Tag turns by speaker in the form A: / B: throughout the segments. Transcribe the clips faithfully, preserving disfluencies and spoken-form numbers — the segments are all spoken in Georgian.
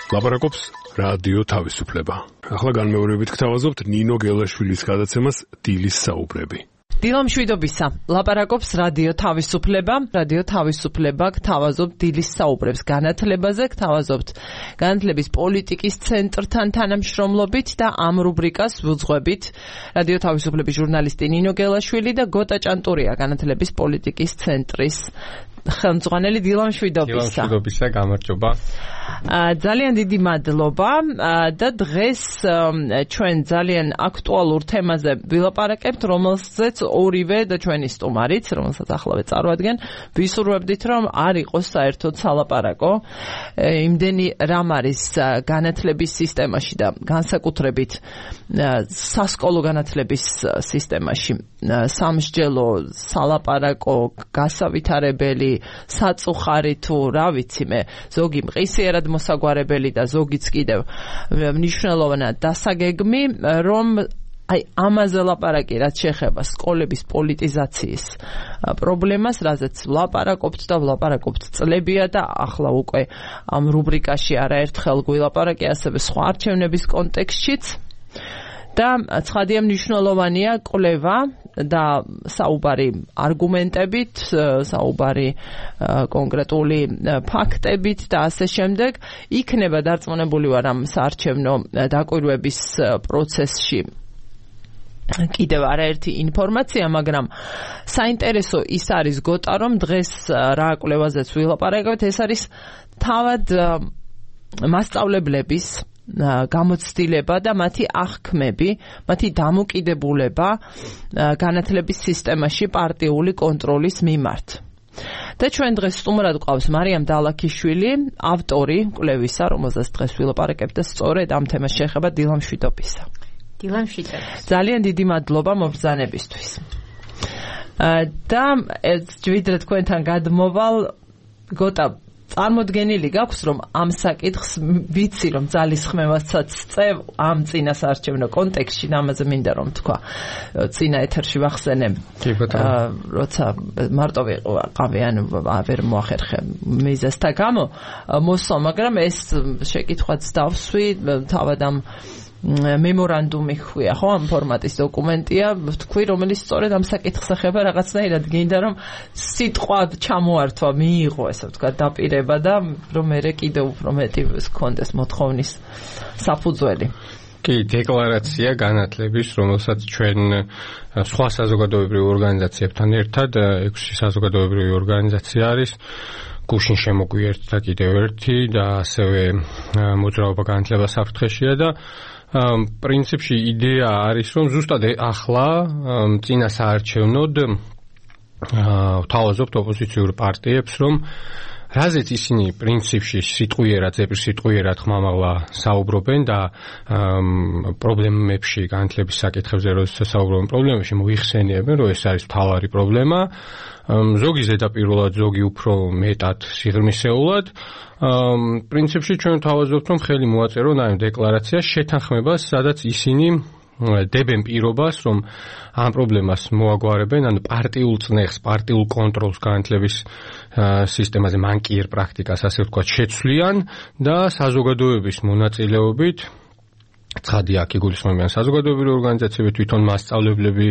A: ლაპარაკობს რადიო თავისუფლება. ახლა განმეორებით გთავაზობთ ნინო გელაშვილის გადაცემას დილის საუბრები.
B: დილამშვიდობისა. ლაპარაკობს რადიო თავისუფლება. რადიო თავისუფლება გთავაზობთ დილის საუბრებს განათლებაზე, გთავაზობთ განათლების პოლიტიკის ცენტრთან თანამშრომლობით და ამ რუბრიკას ვუძღვებით. რადიო თავისუფლების ჟურნალისტი ნინო გელაშვილი და გოტა ჭანტურია განათლების პოლიტიკის ცენტრის ხელმძღვანელი. დილამშვიდობისა.
C: დილამშვიდობისა, გამარჯობა.
B: ძალიან დიდი მადლობა და დღეს ჩვენ ძალიან აქტუალურ თემაზე ვილაპარაკებთ, რომელზეც ორივე და ჩვენი სტუმარიც, რომელსაც ახლავე წარვადგენ, ვისურვებდით, რომ არ იყოს საერთოდ სალაპარაკო. იმდენი რამ არის განათლების სისტემაში და განსაკუთრებით სასკოლო განათლების სისტემაში სამსჯელო, სალაპარაკო, გასავითარებელი, საწუხარი თუ რა ვიცი მე, ზოგი მყისიერად მოსაგვარებელი და ზოგიც კიდევ მნიშვნელოვანად დასაგეგმი, რომ აი ამაზე ლაპარაკი რაც შეეხება სკოლების პოლიტიზაციის პრობლემას, რაზეც ვლაპარაკობთ და ვლაპარაკობთ წლებია და ახლა უკვე ამ რუბრიკაში არაერთხელ გვილაპარაკე ასევე სხვა არჩევნების კონტექსტშიც. და ცხადია მნიშვნელოვანია კვლევა და საუბარი არგუმენტებით, საუბარი კონკრეტული ფაქტებით და ასე შემდეგ. იქნება დარწმუნებული ვარ ამ საარჩევნო დაკვირვების პროცესში კიდევ არაერთი ინფორმაცია, მაგრამ საინტერესო ის არის გოტა, რომ დღეს რა კვლევაზეც ვილაპარაკებთ, ეს არის თავად მასწავლებლების გამოცდილება და მათი აღქმები, მათი დამოკიდებულება განათლების სისტემაში პარტიული კონტროლის მიმართ. და ჩვენ დღეს სტუმრად გვყავს მარიამ დალაქიშვილი, ავტორი კვლევისა, რომელზეც დღეს ვილაპარაკებთ და სწორედ ამ თემას შეეხება. დილამშვიდობისა.
D: დილამშვიდობისა.
B: ძალიან დიდი მადლობა მობრძანებისთვის. და ვიდრე თქვენთან გადმოვალ, გოტა, წარმოდგენილი გაქვს, რომ ამ საკითხს ვიცი, რომ ძალისხმევასაც წევ ამ წინა საარჩევნო კონტექსტში, ამაზე მინდა რომ თქვა წინა ეთერში ვახსენებ, როცა მარტო ვიყავი, ანუ ვერ მოახერხე მიზეზთა გამო მოსვა, მაგრამ ეს შეკითხვაც დავსვი, თავად ამ მემორანდუმი ხويا, ხო, ამ ფორმატის დოკუმენტია, თქვი, რომელიც სწორედ ამ საკითხს ეხება, რაღაცნაირად გინდა რომ სიტყვა ჩამოართვა, მიიღო, ესე ვთქვა, დაპირება და რომ მე კიდევ უფრო მეტი გქონდეს მოთხოვნის საფუძველი.
C: კი, დეკლარაცია განათლების, რომელსაც ჩვენ სხვა საზოგადოებრივ ორგანიზაციებთან ერთად, ექვსი საზოგადოებრივი ორგანიზაცია არის, გუშინ შემოგვიერთდა კიდევ ერთი და ასევე მოძრაობა განათლება საფრთხეშია და პრინციპში იდეა არის, რომ ზუსტად ახლა წინა საარჩევნოდ ვთავაზობთ ოპოზიციურ პარტიებს, რომ რაზეც ისინი პრინციპში სიტყვიერად, ზეპირსიტყვიერად ხმამაღლა საუბრობენ და პრობლემებში, განათლების საკითხებზე როდესაც საუბრობენ პრობლემებში, მოიხსენიებენ, რომ ეს არის მთავარი პრობლემა. ზოგი ზედაპირულად, ზოგი უფრო მეტად სიღრმისეულად. პრინციპში ჩვენ ვთავაზობთ, რომ ხელი მოაწერონ ამ დეკლარაციას შეთანხმებას, სადაც ისინი დებენ პირობას, რომ ამ პრობლემას მოაგვარებენ, ანუ პარტიულ წნეხს, პარტიულ კონტროლს განათლების სისტემაზე, მანკიერ პრაქტიკას, ასე ვთქვათ, შეცვლიან და საზოგადოების მონაწილეობით, ცხადია, აქ იგულისხმებიან საზოგადოებრივი ორგანიზაციები, თვითონ მასწავლებლები,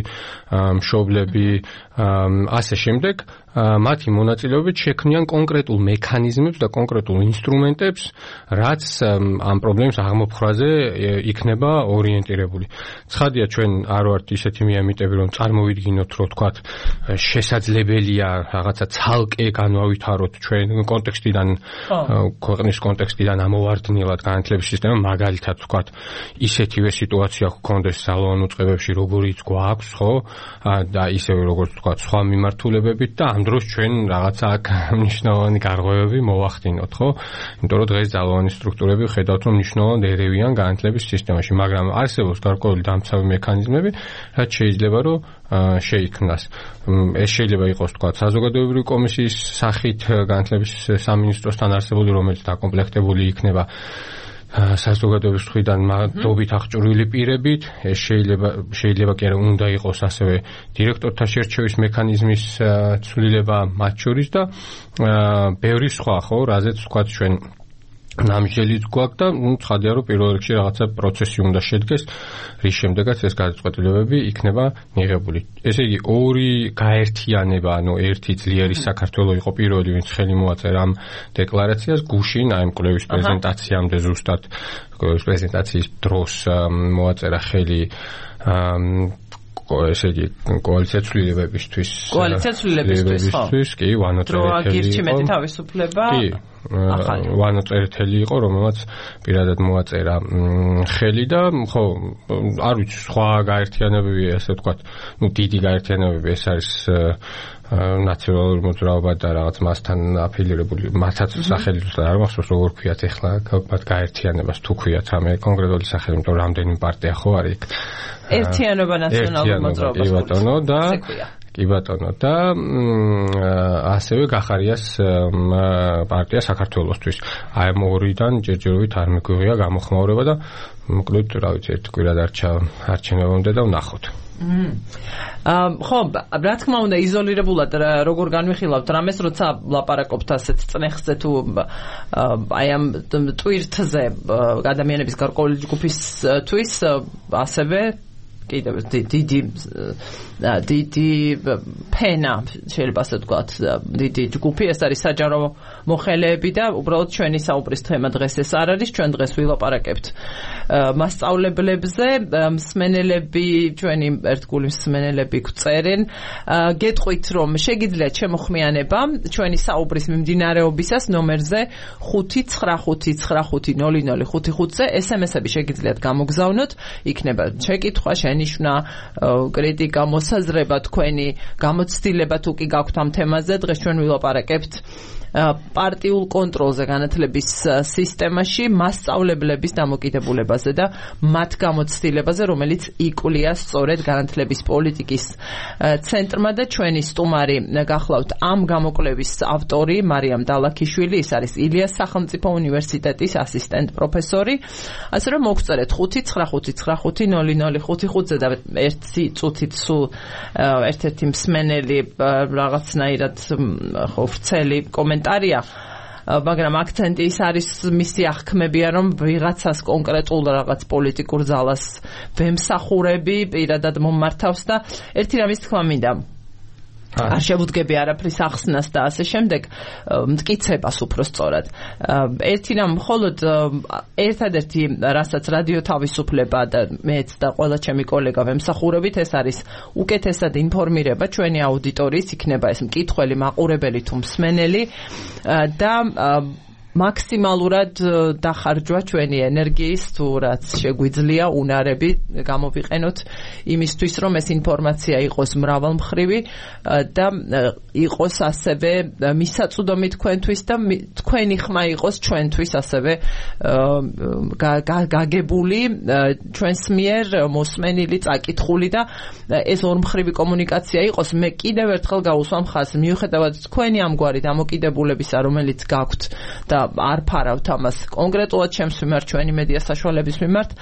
C: მშობლები, ასე შემდეგ, მათი მონაწილეობით შექმნიან კონკრეტულ მექანიზმებს და კონკრეტულ ინსტრუმენტებს, რაც ამ პრობლემის აღმოფხვრაზე იქნება ორიენტირებული. ცხადია, ჩვენ არ ვართ ისეთი მიამიტები, რომ წარმოვიდგინოთ, რომ თქვათ, შესაძლებელია რაღაცა ცალკე განვავითაროთ ჩვენ კონტექსტიდან, ქვეყნის კონტექსტიდან ამოვარდნილად განათლების სისტემა, მაგალითად თქვათ, ისეთივე სიტუაცია გქონდეს სალოონ უწყებებში, როგორიც გვაქვს, ხო? და ისევე როგორც თქვათ, სხვა მიმართულებებით და ამ დროს ჩვენ რაღაცა აქ მნიშვნელოვანი გარღვევები მოვახდინოთ, ხო? იმიტომ რომ დღეს ძალოვანი სტრუქტურები ხედავთ, რომ მნიშვნელოვნად ერევიან განათლების სისტემაში, მაგრამ არსებობს გარკვეული დამცავი მექანიზმები, რაც შეიძლება რომ შეიქმნას. ეს შეიძლება იყოს თქვა საზოგადოებრივი კომისიის სახით განათლების სამინისტროსთან არსებული, რომელიც დაკომპლექტებული იქნება საზოგადოების მხრიდან მადლობით აღჭურვილი პირებით, ეს შეიძლება შეიძლება კი არა უნდა იყოს ასევე დირექტორთა შერჩევის მექანიზმის ცვლილება მათ შორის და ბევრი სხვა ხო, რაზეც ვთქვათ ჩვენ ნამჟელიც გვაქვს და ნუ ცხადია რომ პირველ რიგში რაღაცა პროცესი უნდა შედგეს, რის შემდეგაც ეს გადაწყვეტილებები იქნება მიღებული. ესე იგი ორი გაერთიანება, ანუ ერთი ძლიერი საქართველოს იყო პირველი, ვინც ხელი მოაწერა ამ დეკლარაციას, გუშინ აი ამ კვლევის პრეზენტაციამდე ზუსტად კვლევის პრეზენტაციის დროს მოაწერა ხელი ესე იგი კოალიცია ცვლილებებისთვის
B: კოალიცია ცვლილებებისთვის
C: კი ვანო წერეთელი
B: იყო თავისუფლება
C: კი ვანო წერეთელი იყო რომელმაც პირადად მოაწერა ხელი და ხო არ ვიცი სხვა გაერთიანებები ასე ვთქვათ ნუ დიდი გაერთიანებები ეს არის ნაციონალური მოძრაობა და რაღაც მასთან აფილირებული მათაც სახელი ზუსტად არ მახსოვს როგორ ქვიათ ეხლა მათ გაერთიანებას თუ ქვიათ რამე კონკრეტული სახელი იმიტომ რომ რამდენი პარტია ხო არის იქ
B: ერთიანობა ნაციონალური მოძრაობა
C: კი ბატონო და კი ბატონო და ასევე გახარიას პარტია საქართველოსთვის აი ამ ორიდან ჯერჯერობით არ მიგვიღია გამოხმაურება და მოკლედ რა ვიცი ერთ კვირა დარჩა არჩევნებამდე და ვნახოთ
B: ხო, რა თქმა უნდა იზოლირებულად როგორ განვიხილავთ რამეს, როცა ლაპარაკობთ ასეთ წნეხზე თუ აი ამ ტვირთზე ადამიანების გარკვეული ჯგუფისთვის ასევე კიდევ დიდი დიდი ფენა შეიძლება ასე ვთქვათ დიდი ჯგუფი ეს არის საჯარო მოხელეები და უბრალოდ ჩვენი საუბრის თემა დღეს ეს არ არის ჩვენ დღეს ვილაპარაკებთ მასწავლებლებზე მსმენელები ჩვენი ერთგული მსმენელები გვწერენ გეტყვით რომ შეგიძლიათ შემოხმიანება ჩვენი საუბრის მიმდინარეობისას ნომერზე ხუთი ცხრა ხუთი ცხრა ხუთი ნული ნული ხუთი ხუთზე ესემესები შეგიძლიათ გამოგზავნოთ იქნება შეკითხვა შენიშვნა კრიტიკა მოსაზრება თქვენი გამოცდილება თუ კი გაქვთ ამ თემაზე დღეს ჩვენ ვილაპარაკებთ პარტიულ კონტროლზე განათლების სისტემაში მასწავლებლების დამოკიდებულებაზე და მათ გამოცდილებაზე რომელიც იკვლია სწორედ განათლების პოლიტიკის ცენტრმა და ჩვენი სტუმარი გახლავთ ამ გამოკვლევის ავტორი მარიამ დალაქიშვილი ის არის ილიას სახელმწიფო უნივერსიტეტის ასისტენტ პროფესორი ასე რომ მოგწერეთ ხუთი ცხრა ხუთი ცხრა ხუთი ნული ნული ხუთი ხუთზე და ერთი წუთით სულ ერთ-ერთი მსმენელი რაღაცნაირად ხო ვრცელი კომენტარია მაგრამ აქცენტი ის არის მისი აღქმებია რომ ვიღაცას კონკრეტულ რაღაც პოლიტიკურ ძალას ვემსახურები პირადად მომმართავს და ერთი რამის თქმა მინდა არ შევუდგები არაფრის ახსნას და ასე შემდეგ მტკიცებას უფრო სწორად ერთი რამ მხოლოდ ერთადერთი რასაც რადიო თავისუფლება და მეც და ყველა ჩემი კოლეგა ვემსახურებით ეს არის უკეთესად ინფორმირება ჩვენი აუდიტორიის იქნება ეს მკითხველი მაყურებელი თუ მსმენელი და მაქსიმალურად დახარჯვა ჩვენი ენერგიის თუ რაც შეგვიძლია უნარები გამოვიყენოთ იმისთვის რომ ეს ინფორმაცია იყოს მრავალმხრივი და იყოს ასევე მისაწვდომი თქვენთვის და თქვენი ხმა იყოს ჩვენთვის ასევე გაგებული ჩვენს მიერ მოსმენილი წაკითხული და ეს ორმხრივი კომუნიკაცია იყოს მე კიდევ ერთხელ გავუსვამ ხაზს მიუხედავად თქვენი ამგვარი დამოკიდებულებისა რომელიც გაქვთ და არ ფარავთ ამას კონკრეტულად ჩემს მიმართ ჩვენი მედია საშუალების მიმართ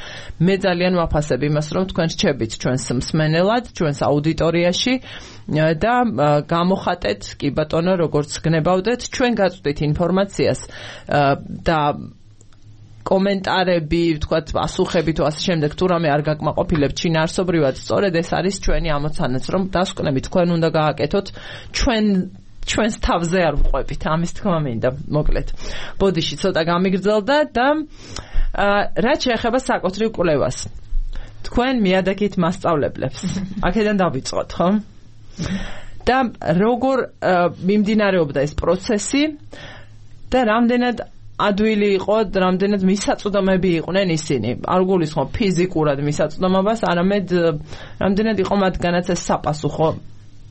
B: მე ძალიან ვაფასებ იმას რომ თქვენ რჩებით ჩვენს მსმენელად ჩვენს აუდიტორიაში და გამოხატეთ კი ბატონო როგორც გნებავდეთ ჩვენ გაწვდით ინფორმაციას და კომენტარები, ვთქვათ, პასუხები თუ ასე შემდეგ თუ რამე არ გაკმაყოფილებთ შინაარსობრივად სწორედ ეს არის ჩვენი ამოცანაც რომ დასკვნებით თქვენ უნდა გააკეთოთ ჩვენ ჩვენს თავზე არ ვყვებით ამის თქმა მინდა მოკლედ ბოდიში ცოტა გამიგრძელდა და რაც შეეხება საკუთრივ კვლევას თქვენ მიადაგით მასწავლებლებს აქედან დავიწყოთ ხო და როგორ მიმდინარეობდა ეს პროცესი და რამდენად ადვილი იყო რამდენად მისაწვდომები იყვნენ ისინი არ გულისხმობ ფიზიკურად მისაწვდომობას არამედ რამდენად იყო მათგანაც ეს საპასუხო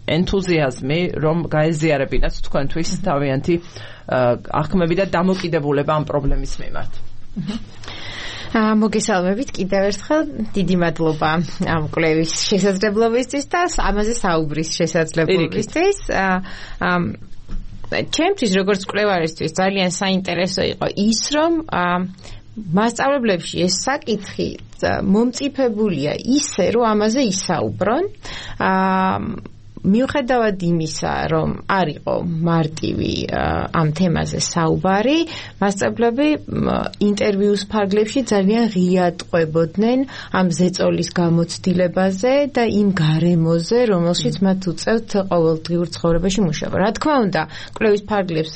B: ენთუზიაზმი რომ გაეზიარებინათ თქვენთვის თავიანთი აღქმები და დამოკიდებულება ამ პრობლემის მიმართ.
D: მოგესალმებით კიდევ ერთხელ დიდი მადლობა ამ კვლევის შესაძლებლობისთვის და ამაზე საუბრის შესაძლებლობისთვის. ჩემთვის როგორც კვლევარისთვის ძალიან საინტერესო იყო ის რომ მასწავლებლებში ეს საკითხი მომწიფებულია ისე, რომ ამაზე ისაუბრონ. აა მიუხედავად იმისა, რომ არ იყო მარტივი ამ თემაზე საუბარი, მასწავლებლები ინტერვიუს ფარგლებში ძალიან ღიად ყვებოდნენ ამ ზეწოლის გამოცდილებაზე და იმ გარემოზე, რომელშიც მათ უწევთ ყოველდღიურ ცხოვრებაში მუშაობა. რა თქმა უნდა, კვლევის ფარგლებს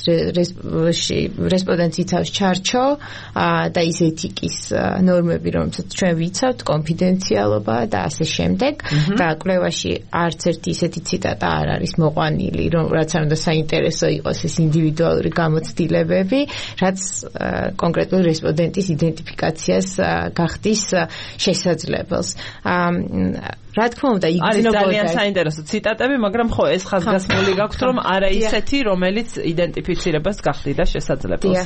D: რესპონდენტს იცავს ჩარჩო და ის ეთიკის ნორმები, რომელსაც ჩვენ ვიცავთ, კონფიდენციალობა და ასე შემდეგ. და კვლევაში არც ერთი ისეთი ციტატა არ არის მოყვანილი, რომ რაც არ უნდა საინტერესო იყოს ეს ინდივიდუალური გამოცდილებები, რაც კონკრეტული რესპონდენტის იდენტიფიკაციას გახდის შესაძლებელს. რა თქმა უნდა, იგრძნობოდა
B: არის ძალიან საინტერესო ციტატები, მაგრამ ხო ეს ხაზგასმული გაქვთ, რომ არა ისეთი, რომელიც იდენტიფიცირებას გახდიდა შესაძლებელს.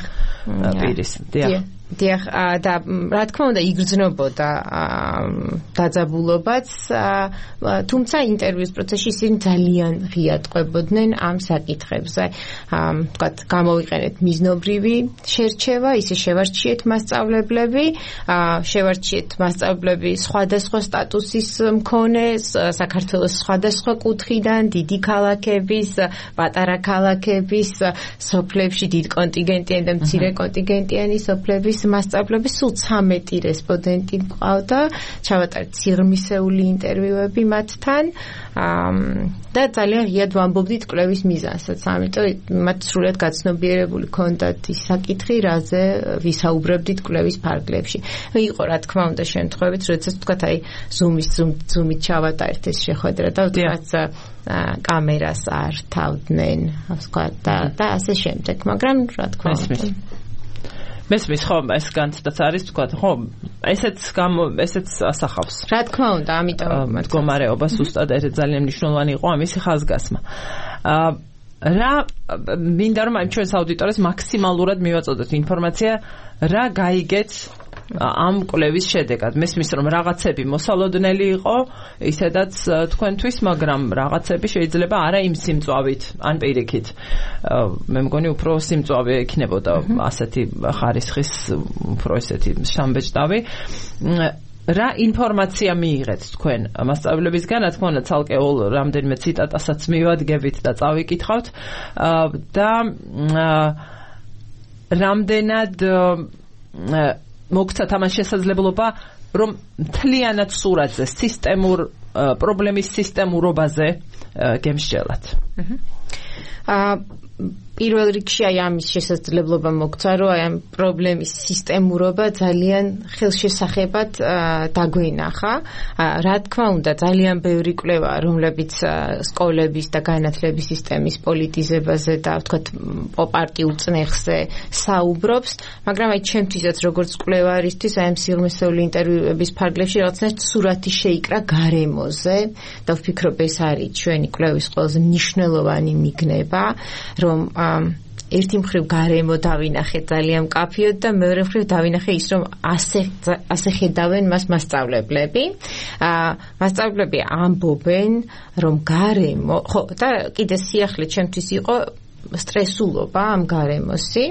B: პირის. დიახ. დიახ,
D: და რა თქმა უნდა, იგრძნობოდა დაძაბულობაც, თუმცა ინტერვიუს პროცესში ისინი ძალიან ღიად ყვებოდნენ ამ საკითხებზე. ვთქვათ, გამოვიყენეთ მიზნობრივი შერჩევა, ისე შევარჩიეთ მასწავლებლები, შევარჩიეთ მასწავლებლები სხვადასხვა სტატუსის მქონე საქართველოს სხვადასხვა კუთხიდან, დიდი ქალაქების, პატარა ქალაქების, სოფლებში დიდ კონტინგენტიანი და მცირე კონტინგენტიანი სოფლების მასწავლებლები, სულ ცამეტი რესპონდენტი მყავდა, ჩავატარეთ სიღრმისეული ინტერვიუები მათთან და ძალიან ღიად ვამბობდით კვლევის მიზანსაც, ამიტომ მათ სრულად გაცნობიერებული ჰქონდათ ის საკითხი, რაზე ვისაუბრებდით კვლევის ფარგლებში. იყო რა თქმა უნდა შემთხვევით, როდესაც თქვათ აი ზუმის ზუმით ჩავატარეთ ეს შეხვედრა და თქვათ კამერას არ თავდნენ, ვთქვათ და ასე შემდეგ, მაგრამ რა თქმა უნდა
B: მესმის ხო ეს განცდაც არის თქვა ხო ესეც ესეც ასახავს
D: რა თქმა უნდა ამიტომ
B: მდგომარეობა ზუსტად ეს ძალიან მნიშვნელოვანი იყო ამისი ხაზგასმა რა მინდა რომ აი ჩვენს აუდიტორიას მაქსიმალურად მივაწოდოთ ინფორმაცია რა გაიგეთ ამ კვლევის შედეგად მესმის რომ რაღაცები მოსალოდნელი იყო ისედაც თქვენთვის მაგრამ რაღაცები შეიძლება არა იმ სიმწვავით ან პირიქით მე მგონი უფრო სიმწვავე იქნებოდა ასეთი ხარისხის უფრო ესეთი შამბეჭდავი რა ინფორმაცია მიიღეთ თქვენ მასწავლებლებისგან რა თქმა უნდა ცალკეულ რამდენიმე ციტატასაც მივადგებით და წავიკითხავთ და რამდენად მოგცათ ამას შესაძლებლობა რომ მთლიანად სურათზე სისტემურ პრობლემის სისტემურობაზე გემსჯელათ
D: აა პირველ რიგში აი ამის შესაძლებლობა მოგცა რომ აი ამ პრობლემის სისტემურობა ძალიან ხელშესახებად დაგვენახა რა თქმა უნდა ძალიან ბევრი კვლევა რომლებიც სკოლების და განათლების სისტემის პოლიტიზებაზე და ვთქვათ პარტიულ წნეხზე საუბრობს მაგრამ აი ჩემთვისაც როგორც კვლევარისთვის აი ამ სიღრმისეული ინტერვიუების ფარგლებში რაღაცნაირად სურათი შეიკრა გარემოზე და ვფიქრობ ეს არის ჩვენი კვლევის ყველაზე მნიშვნელოვანი მიგნება რომ ერთი მხრივ გარემო დავინახეთ ძალიან მკაფიოდ და მეორე მხრივ დავინახე ის რომ ასე ასე ხედავენ მას მასწავლებლები. მასწავლებლები ამბობენ რომ გარემო ხო და კიდე სიახლე ჩემთვის იყო სტრესულობა ამ გარემოსი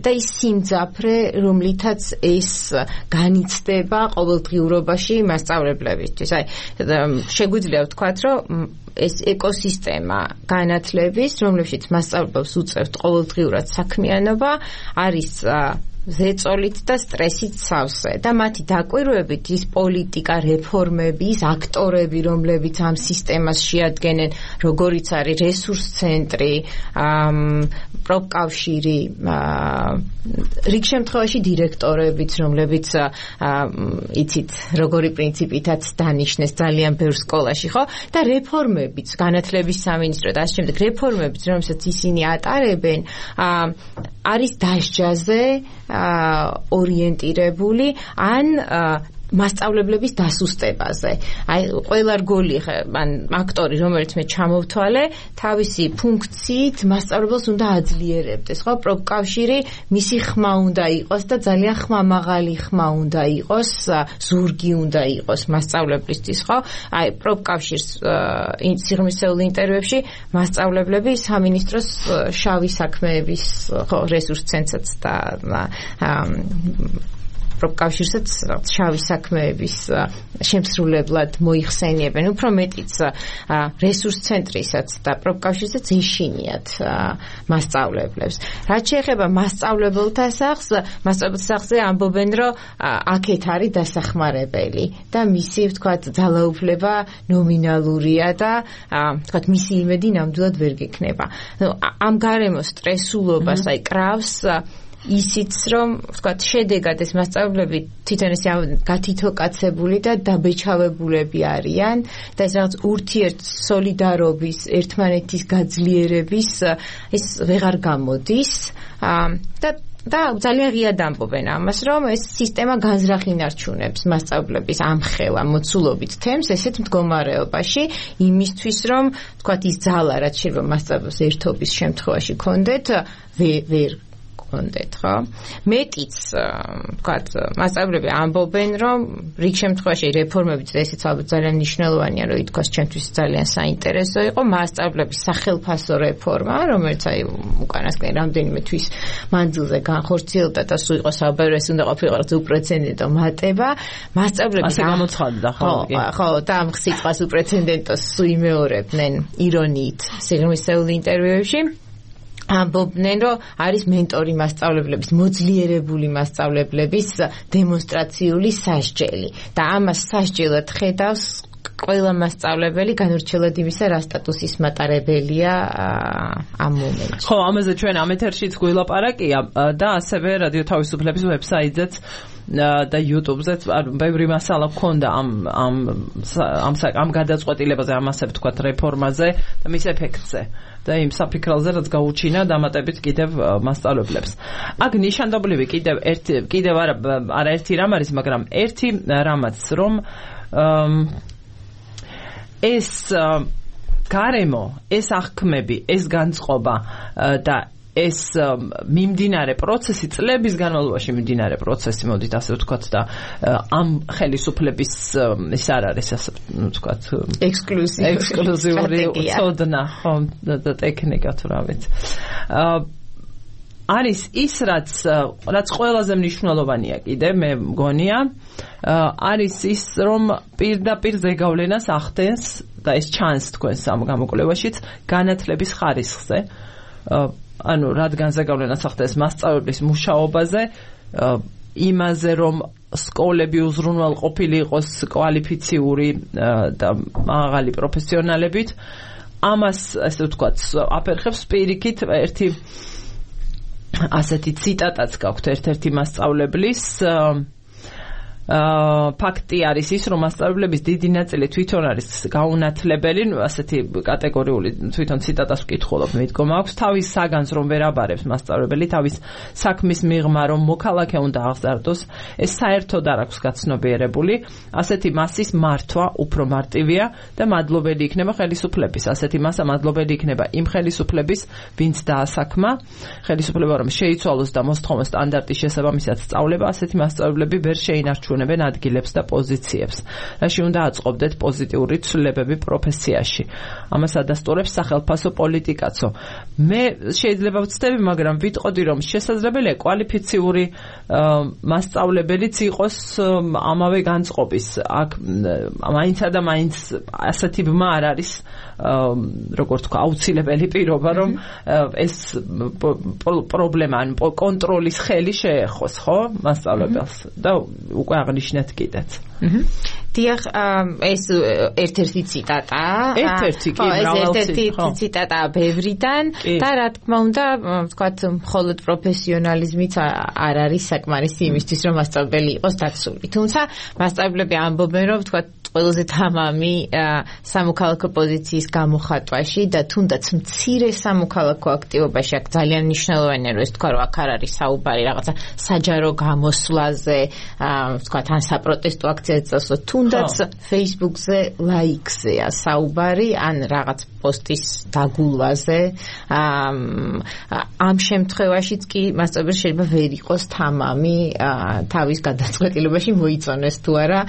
D: და ის სიმძაფრე რომლითაც ეს განიცდება ყოველდღიურობაში მასწავლებლებისთვის. აი შეგვიძლია ვთქვათ რომ ეს ეკოსისტემა განათლების, რომლებშიც მასწავლებლებს უწევთ ყოველდღიურად საქმიანობა, არის ზეწოლით და სტრესით სავსე და მათი დაკვირვებით ის პოლიტიკა, რეფორმები, ის აქტორები, რომლებიც ამ სისტემას შეადგენენ, როგორიც არის რესურს ცენტრი, პროფკავშირი, რიგ შემთხვევაში დირექტორებიც, რომლებიც იცით, როგორი პრინციპითაც დანიშნეს ძალიან ბევრ სკოლაში, ხო? და რეფორმებიც, განათლების სამინისტრო და ასე შემდეგ, რეფორმებიც, რომელსაც ისინი ატარებენ, არის დასჯაზე ორიენტირებული ან მასწავლებლების დასუსტებაზე. აი ყველა რგოლი ან აქტორი რომელიც მე ჩამოვთვალე, თავისი ფუნქციით მასწავლებელს უნდა აძლიერებდეს, ხო? პროფკავშირი მისი ხმა უნდა იყოს და ძალიან ხმამაღალი ხმა უნდა იყოს, ზურგი უნდა იყოს მასწავლებლისთვის, ხო? აი პროფკავშირს სიღრმისეულ ინტერვიუებში მასწავლებლები სამინისტროს შავი საქმეების, ხო, რესურს ცენტრსაც და პროფკავშირსაც შავი საქმეების შემსრულებლად მოიხსენიებენ, უფრო მეტიც რესურს ცენტრისაც და პროფკავშირსაც ეშინიათ მასწავლებლებს. რაც შეეხება მასწავლებელთა სახლს, მასწავლებელთა სახლზე ამბობენ, რომ აქეთ არის დასახმარებელი და მისი, ვთქვათ, ძალაუფლება ნომინალურია და ვთქვათ, მისი იმედი ნამდვილად ვერ გექნება. ამ გარემოს სტრესულობას აი კრავს ისიც რომ ვთქვათ შედეგად ეს მასწავლებლები თვითონ ეს გათითოკაცებული და დაბეჭავებულები არიან და ეს რაღაც ურთიერთ სოლიდარობის ერთმანეთის გაძლიერების ის ვეღარ გამოდის და და ძალიან ღიად ამბობენ ამას, რომ ეს სისტემა განზრახინარჩუნებს მასწავლებლების ამხელა მოცულობით თემს ესეთ მდგომარეობაში იმისთვის, რომ ვთქვათ ის ძალა რაც შეიძლება მასწავლებლებს ერთობის შემთხვევაში კონდეთ ვერ კონდეთ, ხო? მეტიც, ვთქვათ, მასწავლებლები ამბობენ, რომ რიგ შემთხვევაში რეფორმებით ესეც ალბათ ძალიან მნიშვნელოვანია, რომ ითქვას ჩემთვის ძალიან საინტერესო იყო მასწავლებლების სახელფასო რეფორმა, რომელიც აი უკანასკნელი რამდენიმე თვის მანძილზე განხორციელდა და სულ იყო საუბარი, ეს უნდა ყოფილიყო უპრეცედენტო მატება. მასწავლებლები
B: ასე გამოცხადდა, ხო?
D: ხო, და ამ სიტყვას უპრეცედენტოს სულ იმეორებდნენ ირონიით სიღრმისეულ ინტერვიუებში. ამბობდნენ, რომ არის მენტორი მასწავლებლების, მოძლიერებული მასწავლებლების დემონსტრაციული სასჯელი და ამას სასჯელად ხედავს ყველა მასწავლებელი განურჩევლად იმისა, რა სტატუსის მატარებელია ამ მომენტში.
B: ხო, ამაზე ჩვენ ამ ეთერშიც გვილაპარაკია და ასევე რადიო თავისუფლების ვებსაიტზეც და YouTube-ზეც ბევრი მასალა გქონდა ამ ამ ამ ამ გადაწყვეტილებაზე, ამასე ვთქვათ რეფორმაზე და მის ეფექტზე. და იმ საფიქრალზე რაც გაუჩინა დამატებით კიდევ მასწავლებლებს. აქ ნიშანდობლივი კიდევ ერთი კიდევ არა არა ერთი რამ არის, მაგრამ ერთი რამაც რომ ეს გარემო, ეს აღქმები, ეს განწყობა და ეს მიმდინარე პროცესი, წლების განმავლობაში მიმდინარე პროცესი, მოდით ასე ვთქვათ და ამ ხელისუფლების ის არ არის ასე ვთქვათ
D: ექსკლუზიური
B: ექსკლუზიური ცოდნა, ხო, და ტექნიკა თუ რა ვიცი. არის ის რაც რაც ყველაზე მნიშვნელოვანია კიდე მე მგონია, არის ის რომ პირდაპირ ზეგავლენას ახდენს და ეს ჩანს თქვენს ამ გამოკვლევაშიც განათლების ხარისხზე. ანუ რადგან ზეგავლენას ახდენს მასწავლებლის მუშაობაზე, იმაზე რომ სკოლები უზრუნველყოფილი იყოს კვალიფიციური და მაღალი პროფესიონალებით, ამას ასე ვთქვათ აფერხებს პირიქით ერთი ასეთი ციტატაც გაქვთ ერთ-ერთი მასწავლებლის. ფაქტი არის ის, რომ მასწავლებლების დიდი ნაწილი თვითონ არის გაუნათლებელი, ასეთი კატეგორიული თვითონ ციტატას ვკითხულობ, მიდგომა აქვს, თავის საგანს რომ ვერ აბარებს მასწავლებელი, თავის საქმის მიღმა რომ მოქალაქე უნდა აღზარდოს, ეს საერთოდ არ აქვს გაცნობიერებული, ასეთი მასის მართვა უფრო მარტივია და მადლობელი იქნება ხელისუფლების, ასეთი მასა მადლობელი იქნება იმ ხელისუფლების, ვინც დაასაქმა, ხელისუფლება რომ შეიცვალოს და მოსთხოვოს სტანდარტის შესაბამისად სწავლება, ასეთი მასწავლებლები ვერ შეინარჩუნებენ ადგილებს და პოზიციებს, რაში უნდა აწყობდეთ პოზიტიური ცვლილებები პროფესიაში. ამას ადასტურებს სახელმწიფო პოლიტიკაცო. მე შეიძლება ვცდები, მაგრამ ვიტყოდი, რომ შესაძლებელია კვალიფიციური მასწავლებელიც იყოს ამავე განწყობის. აქ მაინცა და მაინც ასეთი ბმა არ არის, როგორ თქვა, აუცილებელი პირობა, რომ ეს პრობლემა, ან კონტროლის ხელი შეეხოს, ხო, მასწავლებელს და უკვე აღნიშნეთ კიდეც.
D: დიახ, ეს ერთ-ერთი ციტატა.
B: ერთ-ერთი კი,
D: ერთ-ერთი ციტატა ბევრიდან და რა თქმა უნდა, ვთქვათ, მხოლოდ პროფესიონალიზმიც არ არის საკმარისი იმისთვის, რომ მასწავლებელი იყოს დაცული. თუმცა მასწავლებლები ამბობენ, რომ ვთქვათ, ყველაზე თამამი სამოქალაქო პოზიციის გამოხატვაში და თუნდაც მცირე სამოქალაქო აქტივობაში აქ ძალიან მნიშვნელოვანია რომ ეს თქვა რომ აქ არ არის საუბარი რაღაცა საჯარო გამოსვლაზე თქვა თან საპროტესტო აქციაზე წასვლა თუნდაც Facebook-ზე ლაიქზეა საუბარი ან რაღაც პოსტის დაგულვაზე ამ შემთხვევაშიც კი მასწავლებელი შეიძლება ვერ იყოს თამამი თავის გადაწყვეტილებაში მოიწონოს თუ არა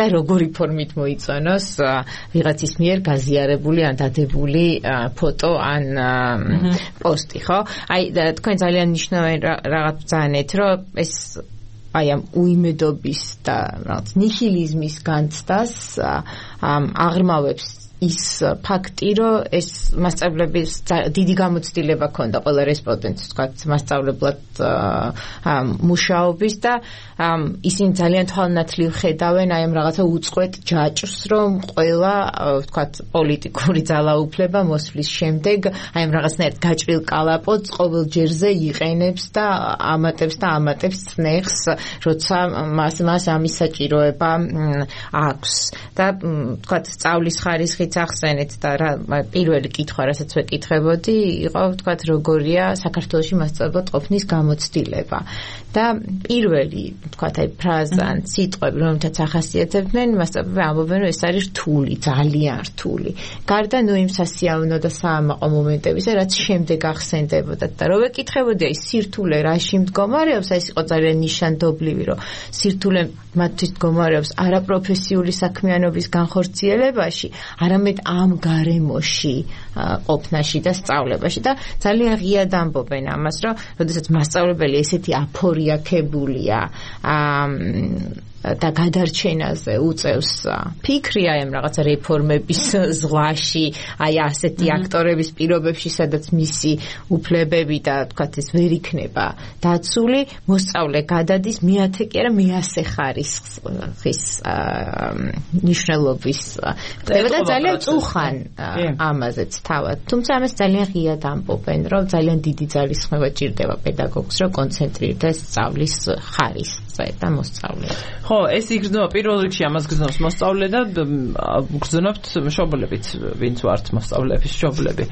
D: და როგორი ფორმით მოიწონოს ვიღაცის მიერ გაზიარებული ან დადებული ფოტო ან პოსტი ხო აი თქვენ ძალიან მნიშვნელოვანი რაღაც ბრძანეთ რომ ეს აი ამ უიმედობის და რაღაც ნიჰილიზმის განცდას აღრმავებს ის ფაქტი, რომ ეს მასწავლებლების დიდი გამოცდილება ქონდა ყველა რესპონდენტს, თქვა მასწავლებლად მუშაობის და ისინი ძალიან თვალნათლივ ხედავენ აი ამ რაღაცა უწყვეტ ჯაჭვს, რომ ყველა თქვა პოლიტიკური ძალაუფლება მოსვლის შემდეგ აი ამ რაღაცნაირად გაჭრილ კალაპოტს ყოველ ჯერზე იყენებს და ამატებს და ამატებს წნეხს, როცა მას მას ამის საჭიროება აქვს და თქვა სწავლის ხარისხი ახსენეთ და რა პირველი კითხვა რასაც ვეკითხებოდი იყო ვთქვათ როგორია საქართველოში მასწავლებლად ყოფნის გამოცდილება და პირველი ვთქვათ აი ფრაზა ან სიტყვები რომელთაც ახასიათებდნენ მასწავლებლები ამბობენ რომ ეს არის რთული ძალიან რთული გარდა ნუ იმ სასიამოვნო და საამაყო მომენტებისა რაც შემდეგ ახსენდებოდა და რო ვეკითხებოდი აი სირთულე რაში მდგომარეობს აი ეს იყო ძალიან ნიშანდობლივი რომ სირთულე მათთვის მდგომარეობს არაპროფესიული საქმიანობის განხორციელებაში არამედ ამ გარემოში ყოფნაში და სწავლებაში და ძალიან ღიად ამბობენ ამას რომ როდესაც მასწავლებელი ესეთი აფორიაქებულია და გადარჩენაზე უწევს ფიქრი აი ამ რაღაცა რეფორმების ზღვაში აი ასეთი აქტორების პირობებში სადაც მისი უფლებები და თქვათ ეს ვერ იქნება დაცული მოსწავლე გადადის მეათე კი არა მეასე ხარისხის ნიშნულობის და ძალიან წუხან ამაზეც თავად თუმცა ამას ძალიან ღიად ამბობენ რომ ძალიან დიდი ძალისხმევა ჭირდება პედაგოგს რომ კონცენტრირდეს სწავლის ხარისხზე და მოსწავლეზე
B: ხო ეს იგრძნობა პირველ რიგში ამას გრძნობს მოსწავლე და გრძნობთ მშობლებით ვინც ვართ მოსწავლეების მშობლები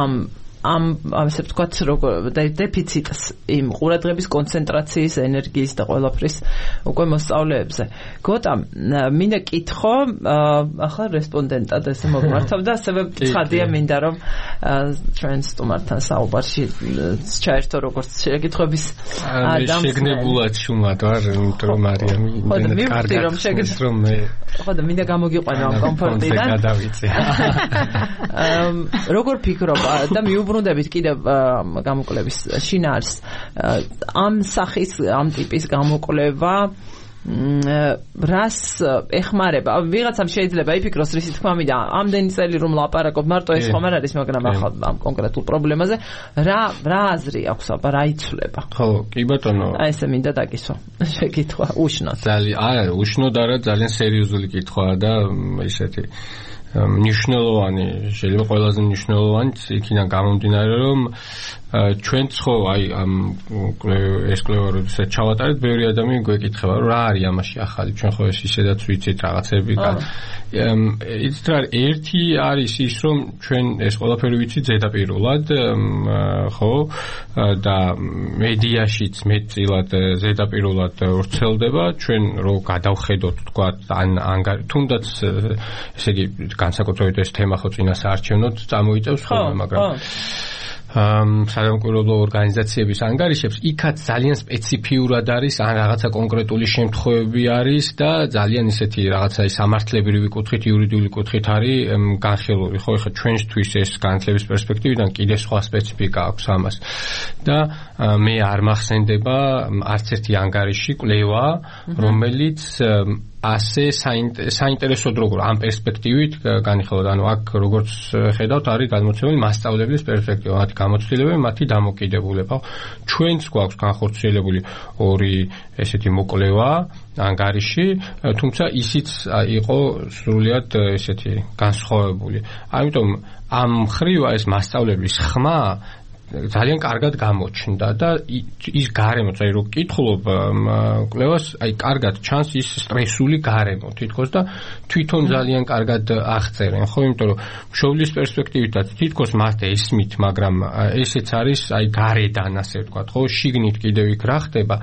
B: ამ ამ ასე ვთქვათ როგორ დეფიციტს იმ ყურადღების კონცენტრაციის ენერგიის და ყველაფრის უკვე მოსწავლეებზე გოტა მინდა კითხო ახლა რესპონდენტად ესე მოგმართავ და ასევე ცხადია მინდა რომ ჩვენ სტუმართან საუბარში ჩაერთო როგორც შეკითხების
C: ადამს შეგნებულად შუმად ვარ იმიტომ რომ მარიამი იმდენად კარგად რომ მე
B: ხო და მინდა გამოგიყვანო ამ კომფორტიდან
C: გადავიწე
B: როგორ ფიქრობ და მიუბრუნდებით კიდევ გამოკვლევის შინაარს ამ სახის ამ ტიპის გამოკვლევა რას ეხმარება ვიღაცამ შეიძლება იფიქროს რისი თქმა მინდა ამდენი წელი რომ ლაპარაკობ მარტო ეს ხომ არ არის მაგრამ ახლა ამ კონკრეტულ პრობლემაზე რა რა აზრი აქვს აბა რა იცვლება
C: ხო კი ბატონო
B: აი ესე მინდა დაკისვა შეკითხვა უშნოდ
C: ძალიან არა უშნოდ არა ძალიან სერიოზული კითხვაა და ისეთი მნიშვნელოვანი შეიძლება ყველაზე მნიშვნელოვანი იქიდან გამომდინარე რომ ჩვენც ხო აი ამ ეს კვლევა როდესაც ჩავატარეთ ბევრი ადამიანი გვეკითხება რომ რა არის ამაში ახალი ჩვენ ხო ეს ისედაც ვიცით რაღაცები იცით რა ერთი არის ის რომ ჩვენ ეს ყველაფერი ვიცით ზედაპირულად ხო და მედიაშიც მეტწილად ზედაპირულად ვრცელდება ჩვენ რო გადავხედოთ თქვა ან თუნდაც ესე იგი განსაკუთრებით ეს თემა ხო წინასაარჩევნოდ წამოიწევს ხოლმე მაგრამ სამომკვირვებლო ორგანიზაციების ანგარიშებს იქაც ძალიან სპეციფიურად არის ან რაღაცა კონკრეტული შემთხვევები არის და ძალიან ისეთი რაღაცა სამართლებრივი კუთხით იურიდიული კუთხით არის განხილული ხო ეხლა ჩვენთვის ეს განათლების პერსპექტივიდან კიდე სხვა სპეციფიკა აქვს ამას და მე არ მახსენდება არც ერთი ანგარიში კვლევა რომელიც ასე საინტერესოდ როგორ ამ პერსპექტივით განიხილოთ ანუ აქ როგორც ხედავთ არის გადმოცემული მასწავლებლის პერსპექტივა მათი გამოცდილება მათი დამოკიდებულება ჩვენც გვაქვს განხორციელებული ორი ესეთი მოკვლევა ანგარიში თუმცა ისიც იყო სრულიად ესეთი განსხვავებული ამიტომ ამ ხრივა ეს მასწავლებლის ხმა ძალიან კარგად გამოჩნდა და ის გარემო, წაი რო კითხულობ კვლევას, აი კარგად ჩანს ის სტრესული გარემო თითქოს და თვითონ ძალიან კარგად აღწერენ, ხო, იმიტომ რომ მშობლის პერსპექტივითაც თითქოს მათე ესმით, მაგრამ ესეც არის აი გარედან ასე ვთქვათ, ხო, შიგნით კიდევ იქ რა ხდება,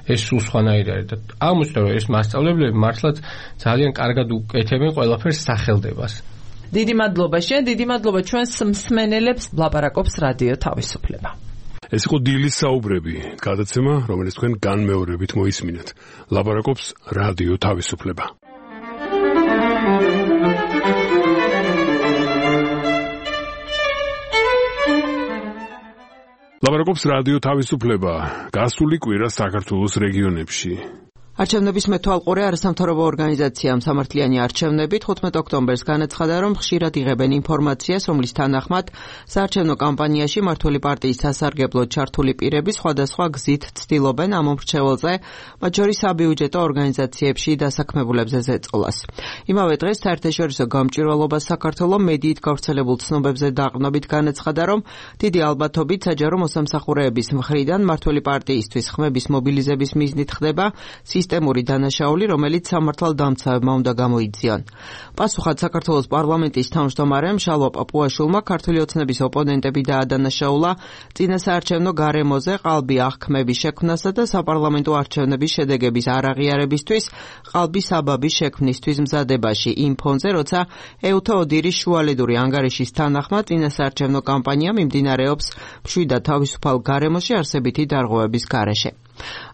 C: ეს სულ სხვანაირი არის და აღმოჩნდა რომ ეს მასწავლებლები მართლაც ძალიან კარგად უკეთებენ ყველაფერს სახელდებას.
B: დიდი მადლობა შენ, დიდი მადლობა ჩვენს მსმენელებს, ლაპარაკობს რადიო თავისუფლება.
A: ეს იყო დილის საუბრები, გადაცემა, რომელიც თქვენ განმეორებით მოისმინეთ. ლაპარაკობს რადიო თავისუფლება. ლაპარაკობს რადიო თავისუფლება. გასული კვირა საქართველოს რეგიონებში.
E: არჩევნების მეთვალყურე არასამთავრობო ორგანიზაციამ სამართლიანი არჩევნები თხუთმეტ ოქტომბერს განაცხადა, რომ ხშირად იღებენ ინფორმაციას, რომლის თანახმად საარჩევნო კამპანიაში მმართველი პარტიის სასარგებლოდ ჩართული პირები სხვადასხვა გზით ცდილობენ ამ მომრჩეველზე, მათ შორის საბიუჯეტო ორგანიზაციებში დასაქმებულებზე ზეწოლას. იმავე დღეს საერთაშორისო გამჭვირვალობა საქართველოს მედიით გავრცელებულ ცნობებზე დაყრდნობით განაცხადა, რომ დიდი ალბათობით საჯარო მოსამსახურეების მხრიდან მმართველი პარტიისთვის ხმების მობილიზების მიზნით ხდება სისტემური დანაშაული, რომელიც სამართალდამცავებმა უნდა გამოიძიონ. პასუხად საქართველოს პარლამენტის თავმჯდომარემ შალვა პაპუაშვილმა ქართული ოცნების ოპონენტები დაადანაშაულა წინასაარჩევნო გარემოზე ყალბი აღქმების შექმნასა და საპარლამენტო არჩევნების შედეგების არაღიარებისთვის ყალბის საბაბის შექმნისთვის მზადებაში იმ ფონზე, როცა ეუთო ოდირის შუალედური ანგარიშის თანახმად წინასაარჩევნო კამპანია მიმდინარეობს მშვიდად თავისუფალ გარემოში არსებითი დარღვევების გარეშე.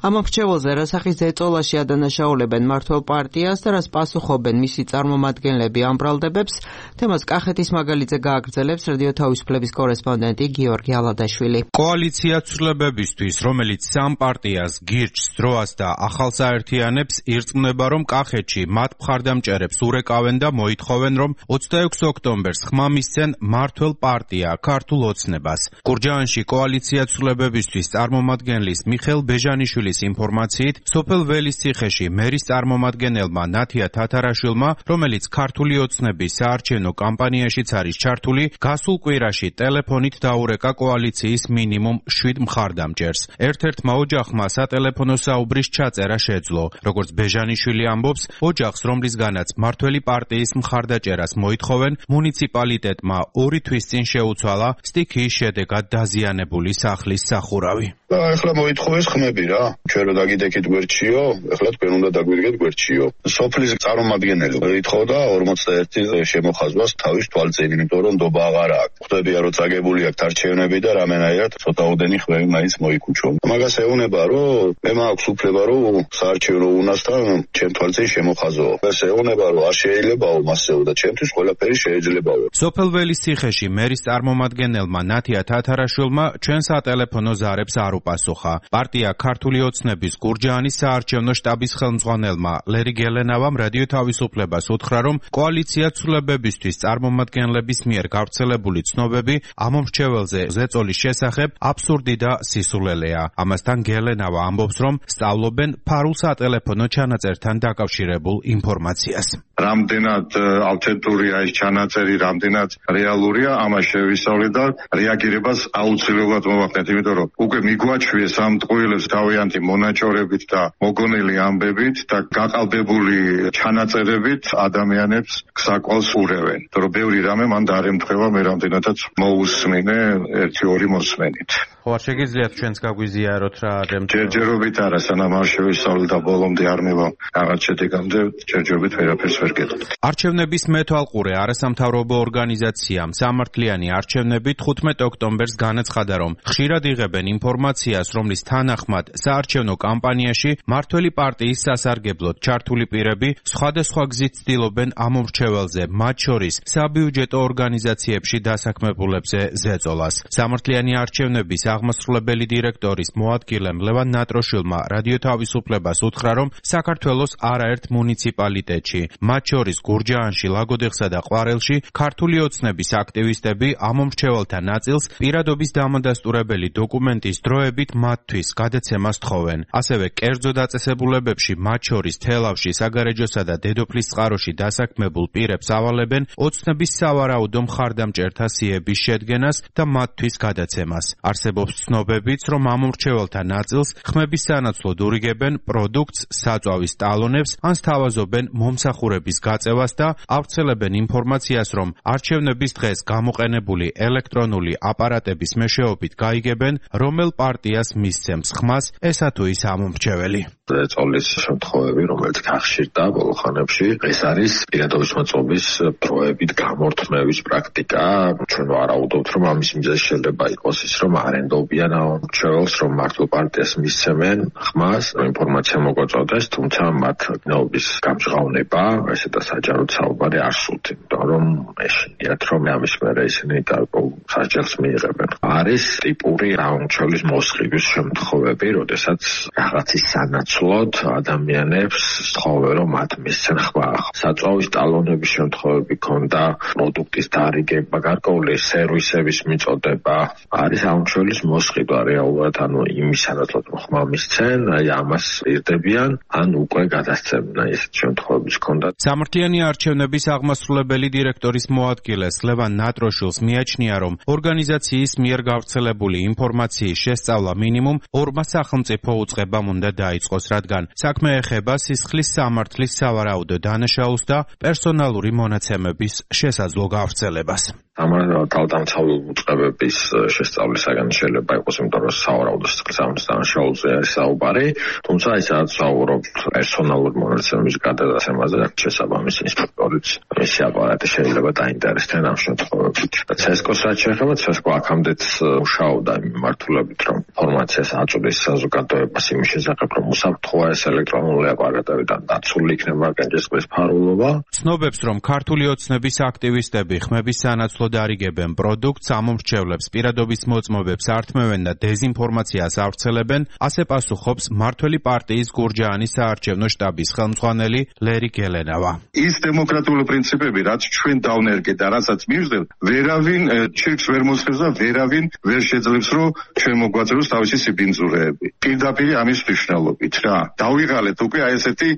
E: ამ მომრჩეველზე რა სახის ზეწოლაში ადანაშაულებენ მმართველ პარტიას და რას პასუხობენ მისი წარმომადგენლები ამ ბრალდებებს, თემას კახეთის მაგალითზე გააგრძელებს რადიო თავისუფლების კორესპონდენტი გიორგი ალადაშვილი.
F: კოალიცია ცვლილებებისთვის, რომელიც სამ პარტიას გირჩს, დროას და ახალს აერთიანებს, ირწმუნება, რომ კახეთში მათ მხარდამჭერებს ურეკავენ და მოითხოვენ, რომ ოცდაექვსი ოქტომბერს ხმა მისცენ მმართველ პარტია ქართულ ოცნებას. გურჯაანში კოალიცია ცვლილებებისთვის წარმომადგენლის მიხეილ ბეჟანიშვილის ინფორმაციით, სოფელ ველისციხეში მერის წარმომადგენელმა ნათია თათარაშვილმა, რომელიც ქართული ოცნების საარჩევნო კამპანიაშიც არის ჩართული, გასულ კვირაში ტელეფონით დაურეკა კოალიციის მინიმუმ შვიდ მხარდამჭერს. ერთ-ერთმა ოჯახმა სატელეფონო საუბრის ჩაწერა შეძლო. როგორც ბეჟანიშვილი ამბობს, ოჯახს, რომლისგანაც მმართველი პარტიის მხარდაჭერას მოითხოვენ, მუნიციპალიტეტმა ორი თვის წინ შეუცვალა სტიქიის შედეგად დაზიანებული სახლის სახურავი.
G: და ახლა მოითხოვეს ხმები რა. ჩვენ რო დაგიდექით გვერდშიო, ახლა თქვენ უნდა დაგვირგეთ გვერდშიო. სოფლის წარმომადგენელი ითხოვდა ორმოცდაერთი შემოხაზვას თავის თვალწინ, იმიტომ რომ ნდობა აღარ აქვს. ხვდებია რომ წაგებული აქვს არჩევნები და რამენაირად ცოტაოდენი ხმები მაინც მოიქუჩო. მაგას ეუბნება რომ მე მაქვს უფლება რომ საარჩევნო უნასთან ჩემ თვალწინ შემოხაზო. ეს ეუბნება რომ არ შეიძლებაო მასეო და ჩემთვის ყველაფერი შეიძლებაო.
F: სოფელ ველისციხეში მერის წარმომადგენელმა ნათია თათარაშვილმა ჩვენ სატელეფონო ზარებს არ უპასუხა. პარტია ქართული ოცნების გურჯაანის საარჩევნო შტაბის ხელმძღვანელმა ლერი გელენავამ რადიო თავისუფლებას უთხრა, რომ კოალიცია ცვლილებებისთვის წარმომადგენლების მიერ გავრცელებული ცნობები ამ მომრჩეველზე ზეწოლის შესახებ აბსურდი და სისულელეა. ამასთან გელენავა ამბობს, რომ სწავლობენ ფარულ სატელეფონო ჩანაწერთან დაკავშირებულ ინფორმაციას.
H: რამდენად ავთენტურია ეს ჩანაწერი, რამდენად რეალურია, ამას შევისწავლეთ და რეაგირებას აუცილებლად მოვახდენთ, იმიტომ რომ უკვე მიგვაჩვიეს ამ ტყუილებს თავიანთი მონაჭორებით და მოგონილი ამბებით და გაყალბებული ჩანაწერებით ადამიანებს საკვალს ურევენ. იმიტომ რომ ბევრი რამე მან დაარემთხევა, მე რამდენადაც მოусმინე ერთი ორი მოსმენით.
F: ხო, არ შეგიძლიათ ჩვენს გაგვიზიაროთ რა არემთხევა?
H: ჯერჯერობით არა, სანამ არ შევისწავლეთ და ბოლომდე არ მივა რაღაც შედეგამდე, ჯერჯერობით ვერაფერს ვერ გეტყვით.
F: არჩევნების მეთვალყურე არასამთავრობო ორგანიზაციამ სამართლიანი არჩევნები თხუთმეტ ოქტომბერს განაცხადა, რომ ხშირად იღებენ ინფორმაციას, რომლის თანახმად საარჩევნო კამპანიაში მმართველი პარტიის სასარგებლოდ ჩართული პირები სხვადასხვა გზით ცდილობენ ამ მომრჩეველზე, მათ შორის საბიუჯეტო ორგანიზაციებში დასაქმებულებზე ზეწოლას. სამართლიანი არჩევნების აღმასრულებელი დირექტორის მოადგილემ ლევან ნატროშვილმა რადიო თავისუფლებას უთხრა, რომ საქართველოს არაერთ მუნიციპალიტეტში, მათ შორის გურჯაანში, ლაგოდეხსა და ყვარელში, ქართული ოცნების აქტივისტები ამომრჩეველთა ნაწილს პირადობის დამადასტურებელი დოკუმენტის დროებით მათთვის გადაცემას თხოვენ. ასევე კერძო დაწესებულებებში, მათ შორის თელავში, საგარეჯოსა და დედოფლის წყაროში დასაქმებულ პირებს ავალებენ ოცნების სავარაუდო მხარდამჭერთა სიების შედგენას და მათთვის გადაცემას. არსებობს ცნობებიც, რომ ამომრჩეველთა ნაწილს ხმების სანაცვლოდ ურიგებენ პროდუქტს, საწვავის ტალონებს, ან სთავაზობენ მომსახურების გაწევას და ავრცელებენ ინფორმაციას, რომ არჩევნების დღეს გამოყენებული ელექტრონული აპარატების მეშვეობით გაიგებენ, რომელ პარტიას მისცემს ხმას ესა თუ ის ამომრჩეველი.
I: წოლის შემთხვევები, რომელიც გახშირდა ბოლო ხანებში, ეს არის პირადობის მოწყობის დროებით გამორთმევის პრაქტიკა. ჩვენ ვარაუდობთ, რომ ამის მიზეზი შეიძლება იყოს ის, რომ არენდობიან ამომრჩეველს, რომ მართულ პარტიას მისცემენ ხმას, ინფორმაცია მოგვაწოდეს, თუმცა მათ გნობის გამჟღავნება, ესე და საჯაროდ საუბარი არ სურთ, იმიტომ რომ ეშინიათ, რომ ამის მერე ისინი გარკვეულ სასჯელს მიიღებენ. არის ტიპური ამომრჩევლის მოსყიდვის შემთხვევები, როდესაც რაღაცის სანაცვლოდ ადამიანებს სთხოვენ, რომ მათ მისცენ ხმა. საწვავის ტალონების შემთხვევები ქონდა, პროდუქტის დარიგება, გარკვეული სერვისების მიწოდება, არის ამომრჩევლის მოსყიდვა რეალურად, ანუ იმის სანაცვლოდ ხმა მისცენ, აი ამას ირდებიან, ან უკვე გადასცემენ, აი ესეთ შემთხვევებიც ქონდა.
F: სამართლიანი არჩევნების აღმასრულებელი დირექტორის მოადგილეს ლევან ნატროშვილს მიაჩნია, რომ ორგანიზაციის მიერ გავრცელებული ინფორმაციის შესწავლა მინიმუმ ორმა სახელმწიფო უწყებამ უნდა დაიწყოს, რადგან საქმე ეხება სისხლის სამართლის სავარაუდო დანაშაულს და პერსონალური მონაცემების შესაძლო გავრცელებას.
I: თავდამცავი უწყებების შესწავლისაგან შეიძლება იყოს, იმიტომ რომ სავარაუდო სისხლის სამართლის დანაშაულზე არის საუბარი, თუმცა ის რაც საუბრობთ პერსონალური მონაცემების გადადაცემაზე, შესაბამისი ინსპექტორიც მისი აპარატი შეიძლება დაინტერესდნენ ამ შემთხვევებით. ცესკოს რაც შეეხება, ცესკო აქამდეც მუშაობდა იმ მიმართულებით, რომ ინფორმაციას აწვდის საზოგადოებას იმის შესახებ, რომ უსაფრთხოა ეს ელექტრონული აპარატები და დაცული იქნება განჯისყრის ფარულობა.
F: ცნობებს, რომ ქართული ოცნების აქტივისტები ხმების სანაცვლოდ არიგებენ პროდუქტს, ამომრჩევლებს პირადობის მოწმობებს ართმევენ და დეზინფორმაციას ავრცელებენ, ასე პასუხობს მმართველი პარტიის გურჯაანის საარჩევნო შტაბის ხელმძღვანელი ლერი გელენავა.
H: ის დემოკრატიული პრინციპები, რაც ჩვენ დავნერგეთ და რასაც მივждებთ, ვერავინ ჩირკს ვერ მოსხებს და ვერავინ ვერ შეძლებს, რომ ჩვენ მოგვაწევოს თავისი სიბინძურეები. პირდაპირ ამის მნიშვნელობით რა. დავიღალეთ უკვე აი ესეთი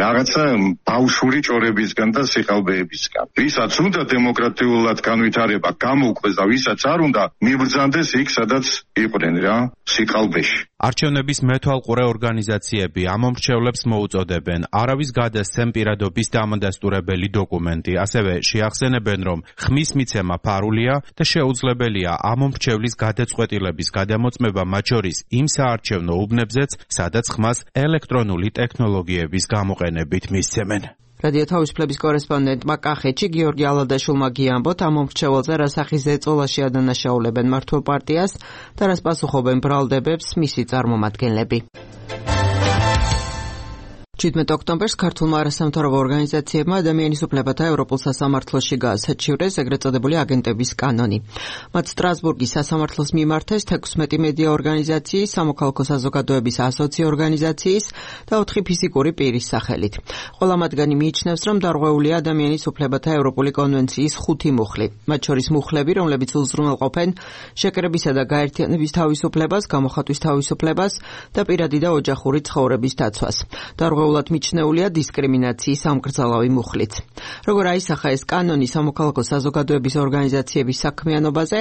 H: რაღაცა ბავშვური ჭორებისგან და სიყალბეებისგან. ვისაც უნდა დემოკრატიულად განვითარება გამოუკვეს და ვისაც არ უნდა მიბრძანდეს იქ, სადაც იყვნენ რა, სიყალბეში.
F: არჩევნების მეთვალყურე ორგანიზაციები ამომრჩევლებს მოუწოდებენ არავის გადასცემ პირადობის დამადასტურებელი დოკუმენტი, ასევე შეახსენებენ, რომ ხმის მიცემა ფარულია და შეუძლებელია ამომრჩევლის გადაწყვეტილების გადამოწმება მათ შორის იმ საარჩევნო უბნებზეც, სადაც ხმას ელექტრონული ტექნოლოგიების გამოყენებით მისცემენ.
E: რადიო თავისუფლების კორესპონდენტმა კახეთში გიორგი ალადაშვილმა გიამბოთ, ამომრჩეველზე რა სახის ზეწოლაში ადანაშაულებენ მართულ პარტიას და რას პასუხობენ ბრალდებებს მისი წარმომადგენლები. შვიდმეტ ოქტომბერს ქართულმა არასამთავრობო ორგანიზაციებმა ადამიანის უფლებათა ევროპულ სასამართლოში გაასაჩივრეს ეგრეთ წოდებული აგენტების კანონი. მათ სტრასბურგის სასამართლოს მიმართეს თექვსმეტი მედია ორგანიზაციის, სამოქალაქო საზოგადოების ასოცი ორგანიზაციის და ოთხი ფიზიკური პირის სახელით. ყველა მათგანი მიიჩნევს, რომ დარღვეულია ადამიანის უფლებათა ევროპული კონვენციის ხუთი მუხლი, მათ შორის მუხლები, რომლებიც უზრუნველყოფენ შეკრებისა და გაერთიანების თავისუფლებას, გამოხატვის თავისუფლებას და პირადი და ოჯახური ცხოვრების დაცვას. დარღვეულ მიჩნეულია დისკრიმინაციის სამკრძალავი მუხლიც. როგორ აისახა ეს კანონი სამოქალაქო საზოგადოების ორგანიზაციების საქმიანობაზე,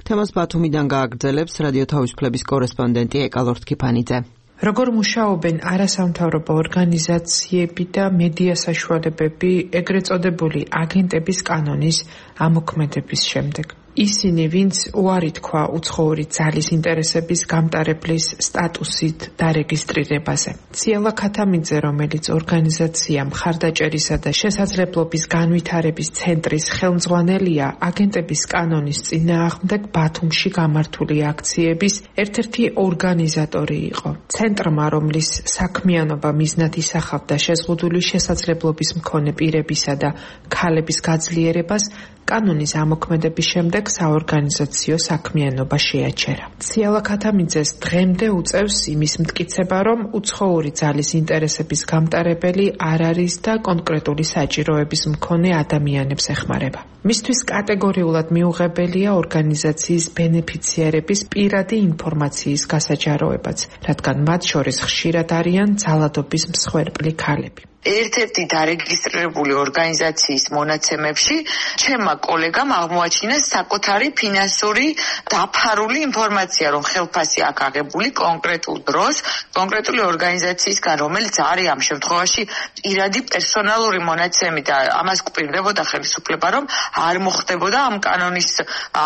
E: თემას ბათუმიდან გააგრძელებს რადიო თავისუფლების კორესპონდენტი ეკალორთ ქიფანიძე.
J: როგორ მუშაობენ არასამთავრობო ორგანიზაციები და მედია საშუალებები ეგრეთ წოდებული აგენტების კანონის ამოქმედების შემდეგ? ისინი, ვინც უარი თქვა უცხოური ძალის ინტერესების გამტარებლის სტატუსით დარეგისტრირებაზე. ციალა ქათამიძე, რომელიც ორგანიზაცია მხარდაჭერისა და შესაძლებლობის განვითარების ცენტრის ხელმძღვანელია, აგენტების კანონის წინააღმდეგ ბათუმში გამართული აქციების ერთ-ერთი ორგანიზატორი იყო. ცენტრმა, რომლის საქმიანობა მიზნად ისახავდა შეზღუდული შესაძლებლობის მქონე პირებისა და ქალების გაძლიერებას, კანონის ამოქმედების შემდეგ საორგანიზაციო საქმიანობა შეაჩერა. ციალა ქათამიძეს დღემდე უწევს იმის მტკიცება, რომ უცხოური ძალის ინტერესების გამტარებელი არ არის და კონკრეტული საჭიროების მქონე ადამიანებს ეხმარება. მისთვის კატეგორიულად მიუღებელია ორგანიზაციის ბენეფიციარების პირადი ინფორმაციის გასაჯაროებაც, რადგან მათ შორის ხშირად არიან ძალადობის მსხვერპლი ქალები.
K: ერთ-ერთი დარეგისტრირებული ორგანიზაციის მონაცემებში ჩემმა კოლეგამ აღმოაჩინა საკუთარი ფინანსური დაფარული ინფორმაცია, რომ ხელფასი აქ აღებული კონკრეტულ დროს, კონკრეტული ორგანიზაციისგან, რომელიც არის ამ შემთხვევაში პირადი პერსონალური მონაცემი და ამას გვპირდებოდა ხელისუფლება, რომ არ მოხდებოდა ამ კანონის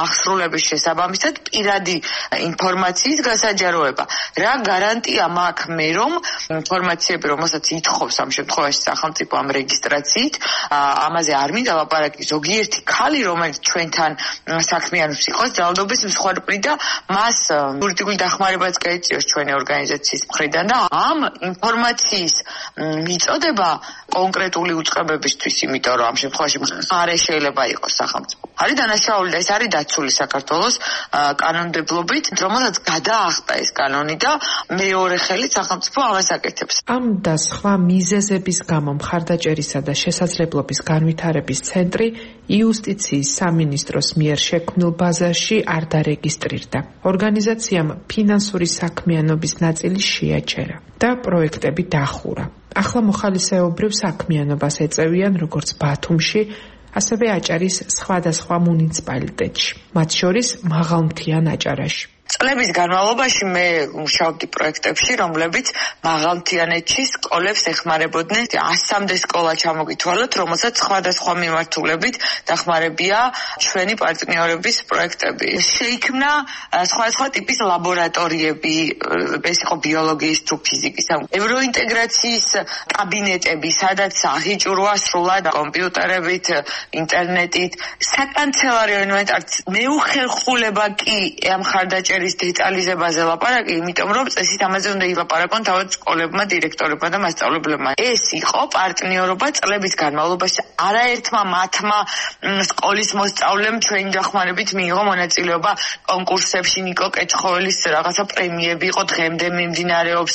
K: აღსრულების შესაბამისად პირადი ინფორმაციის გასაჯაროება. რა გარანტია მაქვს მე, რომ ინფორმაციები, რომელსაც ითხოვს ამ შემთხვევაში სახელმწიფო ამ რეგისტრაციით, ამაზე არ მინდა ლაპარაკი, ზოგიერთი ქალი, რომელიც ჩვენთან საქმიანობს იყოს ძალადობის მსხვერპლი და მას იურიდიული დახმარებაც გაეწიოს ჩვენი ორგანიზაციის მხრიდან და ამ ინფორმაციის მიწოდება კონკრეტული უწყებებისთვის, იმიტომ რომ ამ შემთხვევაში არ შეიძლება იყოს სახელმწიფო. არის დანაშაული და ეს არის დაცული საქართველოს კანონმდებლობით, რომელსაც გადაახტა ეს კანონი და მეორე ხელით სახელმწიფო ამას აკეთებს.
J: ამ და სხვა მიზეზების გამო მხარდაჭერისა და შესაძლებლობის განვითარების ცენტრი იუსტიციის სამინისტროს მიერ შექმნილ ბაზაში არ დარეგისტრირდა. ორგანიზაციამ ფინანსური საქმიანობის ნაწილი შეაჩერა და პროექტები დახურა. ახლა მოხალისეობრივ საქმიანობას ეწევიან როგორც ბათუმში, ასევე აჭარის სხვადასხვა მუნიციპალიტეტში, მათ შორის მაღალმთიან აჭარაში.
K: წლების განმავლობაში მე მუშაობდი პროექტებში, რომლებიც მაღალმთიანეთში სკოლებს ეხმარებოდნენ. ასამდე სკოლა ჩამოგითვალოთ, რომელსაც სხვადასხვა მიმართულებით დახმარებია ჩვენი პარტნიორების პროექტები. შეიქმნა სხვადასხვა ტიპის ლაბორატორიები, ეს იყო ბიოლოგიის თუ ფიზიკის, ევროინტეგრაციის კაბინეტები, სადაც აღიჭურვა სრულად კომპიუტერებით, ინტერნეტით, საკანცელარიო ინვენტარიც. მეუხერხულება კი ამ ხარდაჭერის დეტალიზებაზე ლაპარაკი, იმიტომ რომ წესით ამაზე უნდა ილაპარაკონ თავად სკოლებმა, დირექტორებმა და მასწავლებლებმა. ეს იყო პარტნიორობა წლების განმავლობაში. არაერთმა მათმა სკოლის მოსწავლემ ჩვენი დახმარებით მიიღო მონაწილეობა კონკურსებში, ნიკო კეჩხოველის რაღაცა პრემიები იყო, დღემდე მიმდინარეობს.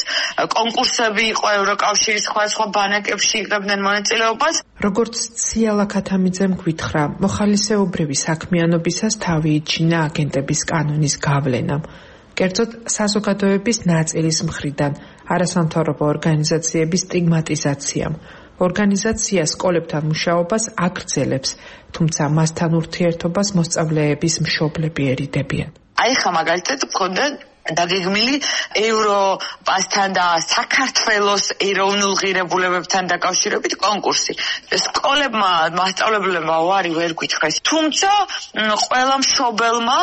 K: კონკურსები იყო ევროკავშირის სხვადასხვა ბანაკებში იღებდნენ მონაწილეობას.
J: როგორც ციალა ქათამიძემ გვითხრა, მოხალისეობრივი საქმიანობისას თავი იჩინა აგენტების კანონის გავლენამ. კერძოდ საზოგადოების ნაწილის მხრიდან არასამთავრობო ორგანიზაციების სტიგმატიზაციამ. ორგანიზაცია სკოლებთან მუშაობას აგრძელებს, თუმცა მასთან ურთიერთობას მოსწავლეების მშობლები ერიდებიან.
K: აი ხა მაგალითად მქონდა დაგეგმილი ევროპასთან და საქართველოს ეროვნულ ღირებულებებთან დაკავშირებით კონკურსი. სკოლებმა, მასწავლებლებმა უარი ვერ გითხრეს. თუმცა ყველა მშობელმა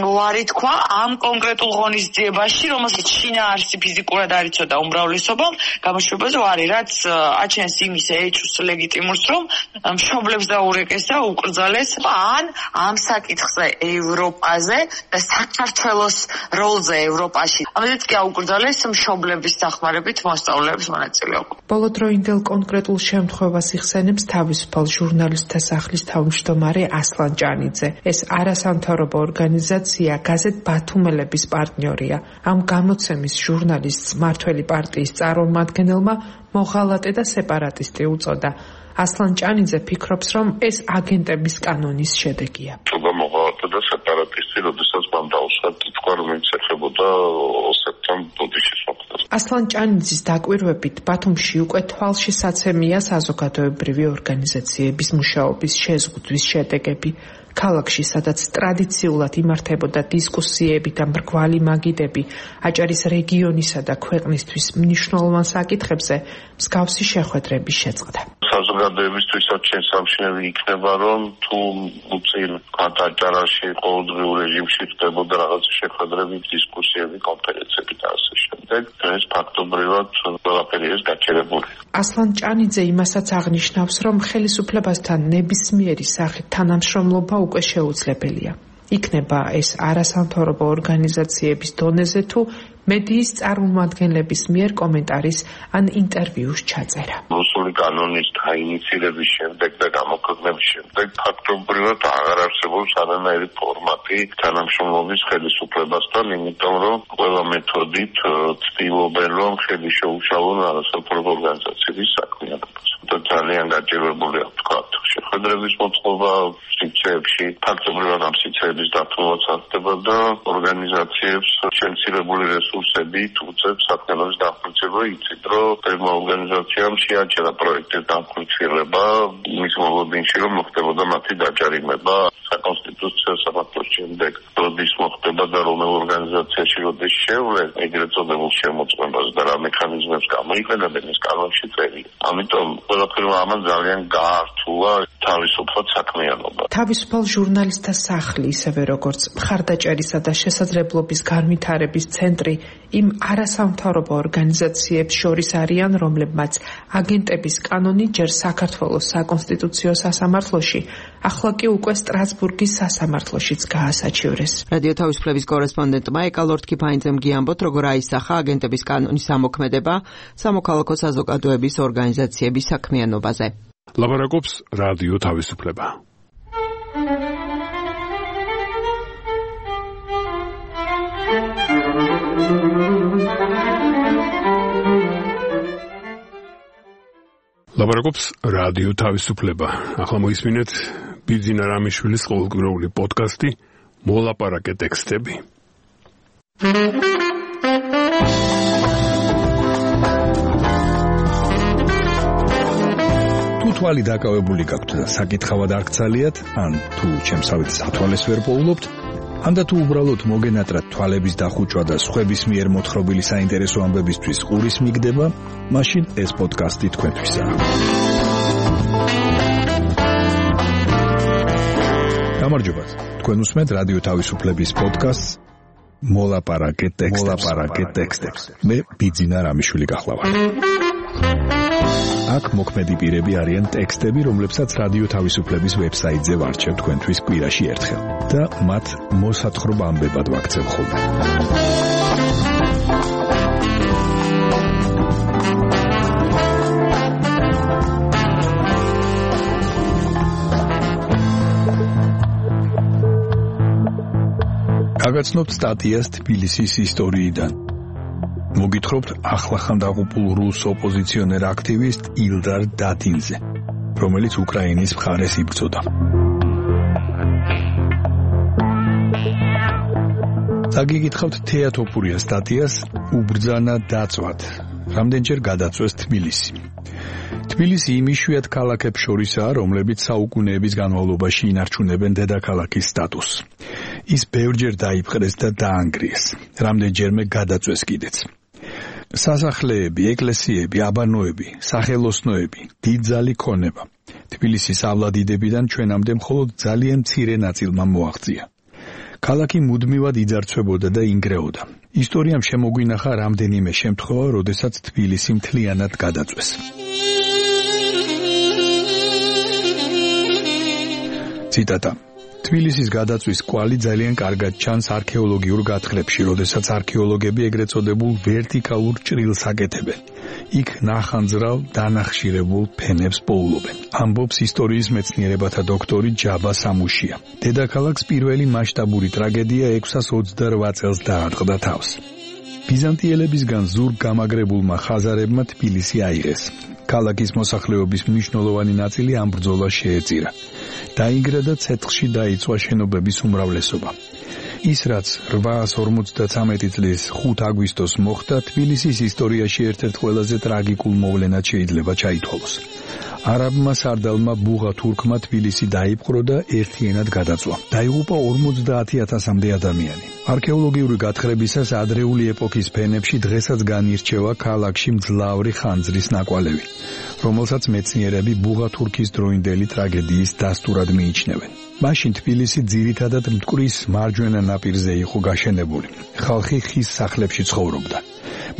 K: უარი თქვა ამ კონკრეტულ ღონისძიებაში, რომელსაც შინაარსი ფიზიკურად არ იცოდა უმრავლესობამ, გამოშვებაზე უარი, რაც აჩენს იმის ეჭვს ლეგიტიმურს, რომ მშობლებს დაურეკეს და უკრძალეს ან ამ საკითხზე ევროპაზე და საქართველოს როლზე ევროპაში. ამაზეც კი აუკრძალეს მშობლების დახმარებით მოსწავლეების მონაწილეობა.
J: ბოლოდროინდელ კონკრეტულ შემთხვევას იხსენებს თავისუფალ ჟურნალისტთა სახლის თავმჯდომარე ასლან ჭანიძე. ეს არასამთავრობო ორგანიზაცია გაზეთ ბათუმელების პარტნიორია. ამ გამოცემის ჟურნალისტს მართველი პარტიის წარმომადგენელმა მოღალატე და სეპარატისტი უწოდა. ასლან ჭანიძე ფიქრობს, რომ ეს აგენტების კანონის შედეგია.
H: მოღალატე და სეპარატისტი, როდესაც მან დაუსვა თქვა, რომ ის ეხებოდა ოსეთთან ბოდიშის მოხდას.
J: ასლან ჭანიძის დაკვირვებით ბათუმში უკვე თვალშისაცემია საზოგადოებრივი ორგანიზაციების მუშაობის შეზღუდვის შედეგები. ქალაქში, სადაც ტრადიციულად იმართებოდა დისკუსიები და მრგვალი მაგიდები აჭარის რეგიონისა და ქვეყნისთვის მნიშვნელოვან საკითხებზე, მსგავსი შეხვედრები შეწყდა.
H: საზოგადოებისთვისაც შესამჩნევი იქნება, რომ თუ უწინ აჭარაში ყოველდღიურ რეჟიმში ხდებოდა რაღაც შეხვედრები, დისკუსიები, კონფერენციები და ასე შემდეგ, ეს ფაქტობრივად ყველაფერი ეს გაჩერებული.
J: ასლან ჭანიძე იმასაც აღნიშნავს, რომ ხელისუფლებასთან ნებისმიერი სახით თანამშრომლობა უკვე შეუძლებელია. იქნება ეს არასამთავრობო ორგანიზაციების დონეზე თუ მედიის წარმომადგენლების მიერ კომენტარის ან ინტერვიუს ჩაწერა.
H: რუსული
L: კანონის დაინიცირების შემდეგ და გამოქვეყნების შემდეგ ფაქტობრივად აღარ არსებობს არანაირი ფორმატი თანამშრომლობის ხელისუფლებასთან, იმიტომ რომ ყველა მეთოდით ცდილობენ რომ ხელი შეუშალონ არასამთავრობო ორგანიზაციების საქმიანობას. და ძალიან გაჭირვებული აქვს თქვა შეხვედრების მოწყობა სივრცეებში, ფაქტობრივად ამ სივრცეების დათმობაც ხდება და ორგანიზაციებს შემცირებული რესურსებით უწევს საქმიანობის დამხმარება. იცით რომ ყველა ორგანიზაციამ შეაჩერა პროექტის დამხმარება მის მოლოდინში რომ მოხდებოდა მათი დაჯარიმება საკონსტიტუციო სამართლის შემდეგ როდის მოხდება და რომელ ორგანიზაციაში როდის შევლენ ეგრეთ წოდებულ შემოწმებას და რა მექანიზმებს გამოიყენებენ ეს კანონში წერია. ამიტომ ყველაფერმა ამან ძალიან გაართულა თავისუფლად საქმიანობა.
J: თავისუფალ ჟურნალისტთა სახლი, ისევე როგორც მხარდაჭერისა და შესაძლებლობის განვითარების ცენტრი იმ არასამთავრობო ორგანიზაციებს შორის არიან, რომლებმაც აგენტების კანონი ჯერ საქართველოს საკონსტიტუციო სასამართლოში, ახლა კი უკვე სტრასბურგის სასამართლოშიც გაასაჩივრეს.
E: რადიო თავისუფლების კორესპონდენტმა ეკალორთ კიფაინძემ გიამბოთ, როგორ აისახა აგენტების კანონის ამოქმედება სამოქალაქო საზოგადოების ორგანიზაციების საქმიანობაზე.
A: ლაბარაკობს რადიო თავისუფლება. ლაბარაკობს რადიო თავისუფლება. ახლა მოისმინეთ ბიძინა რამიშვილის ყოველკვირეული პოდკასტი მოლაპარაკე ტექსტები.
M: თუ თვალი დაკავებული გაქვთ და საკითხავად არ გცალიათ, ან თუ ჩემსავით სათვალეს ვერ პოულობთ, ან და თუ უბრალოდ მოგენატრათ თვალების დახუჭვა და სხვების მიერ მოთხრობილი საინტერესო ამბებისთვის ყურის მიგდება, მაშინ ეს პოდკასტი თქვენთვისაა. გამარჯობათ. თქვენ უსმენთ რადიო თავისუფლების პოდკასტს მოლაპარაკე ტექსტებს. მოლაპარაკე ტექსტებს. მე ბიძინა რამიშვილი გახლავართ. აქ მოქმედი პირები არიან ტექსტები, რომლებსაც რადიო თავისუფლების ვებსაიტზე ვარჩევ თქვენთვის კვირაში ერთხელ და მათ მოსათხრობ ამბებად ვაქცევ ხოლმე. გაგაცნობთ სტატიას თბილისის ისტორიიდან. მოგითხრობთ ახლახან დაღუპულ რუს ოპოზიციონერ აქტივისტ ილდარ დადინზე, რომელიც უკრაინის მხარეს იბრძოდა. დაგიგითხავთ თეატოფურია სტატიას უბრძანა დაწვად, რამდენჯერ გადაწვეს თბილისი. თბილისი იმ იშვიათ ქალაქებს შორისაა, რომლებიც საუკუნეების განმავლობაში ინარჩუნებენ დედაქალაქის სტატუსს. ის ბევრჯერ დაიპყრეს და დაანგრიეს, რამდენჯერმე გადაწვეს კიდეც. სასახლეები, ეკლესიები, აბანოები, სახელოსნოები, დიდძალი ქონება. თბილისის ავლადიდებიდან ჩვენამდე მხოლოდ ძალიან მცირე ნაწილმა მოაღწია. ქალაქი მუდმივად იძარცვებოდა და ინგრეოდა. ისტორიამ შემოგვინახა რამდენიმე შემთხვევა, როდესაც თბილისი მთლიანად გადაწვეს. ციტატა. თბილისის გადაწვის კვალი ძალიან კარგად ჩანს არქეოლოგიურ გათხრებში, როდესაც არქეოლოგები ეგრეთ წოდებულ ვერტიკალურ ჭრილს აკეთებენ. იქ ნახანძრალ დანახშირებულ ფენებს პოულობენ. ამბობს ისტორიის მეცნიერებათა დოქტორი ჯაბა სამუშია. დედაქალაქს პირველი მასშტაბური ტრაგედია ექვსას ოცდარვა წელს დაარტყდა თავს. ბიზანტიელებისგან ზურგ გამაგრებულმა ხაზარებმა თბილისი აიღეს. ქალაქის მოსახლეობის მნიშვნელოვანი ნაწილი ამ ბრძოლას შეეწირა. დაინგრა და ცეცხლში დაიწვა შენობების უმრავლესობა. ის რაც რვაას ორმოცდათვრამეტი წლის ხუთი აგვისტოს მოხდა, თბილისის ისტორიაში ერთ-ერთ ყველაზე ტრაგიკულ მოვლენად შეიძლება ჩაითვალოს. არაბმა სარდალმა ბუღა თურქმა თბილისი დაიპყრო და ერთიანად გადაწვა. დაიღუპა ორმოცდაათი ათასამდე ადამიანი. არქეოლოგიური გათხრებისას ადრეული ეპოქის ფენებში დღესაც განირჩევა ქალაქში მძლავრი ხანძრის ნაკვალევი, რომელსაც მეცნიერები ბუღა თურქის დროინდელი ტრაგედიის დასტურად მიიჩნევენ. მაშინ თბილისი ძირითადად მტკვრის მარჯვენა ნაპირზე იყო გაშენებული. ხალხი ხის სახლებში ცხოვრობდა.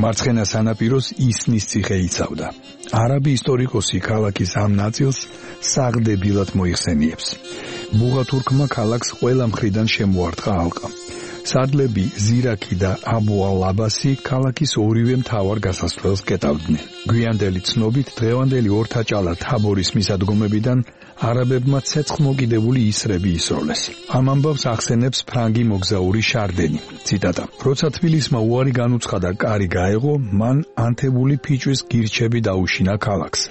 M: მარცხენა სანაპიროს ისნის ციხე იცავდა. არაბი ისტორიკოსი ქალაქის ამ ნაწილს საღდებილად მოიხსენიებს. ბუღა თურქმა ქალაქს ყველა მხრიდან შემოარტყა ალყა. სარდლები ზირაქი და აბუ ალ-აბასი ქალაქის ორივე მთავარ გასასვლელს კეტავდნენ. გვიანდელი ცნობით დღევანდელი ორთაჭალა თაბორის მისადგომებიდან არაბებმა ცეცხლმოკიდებული ისრები ისროლეს. ამ ამბავს ახსენებს ფრანგი მოგზაური შარდენი. ციტატა: როცა თბილისმა უარი განუცხადა კარი გაეღო, მან ანთებული ფიჭვის გირჩები დაუშინა ქალაქს,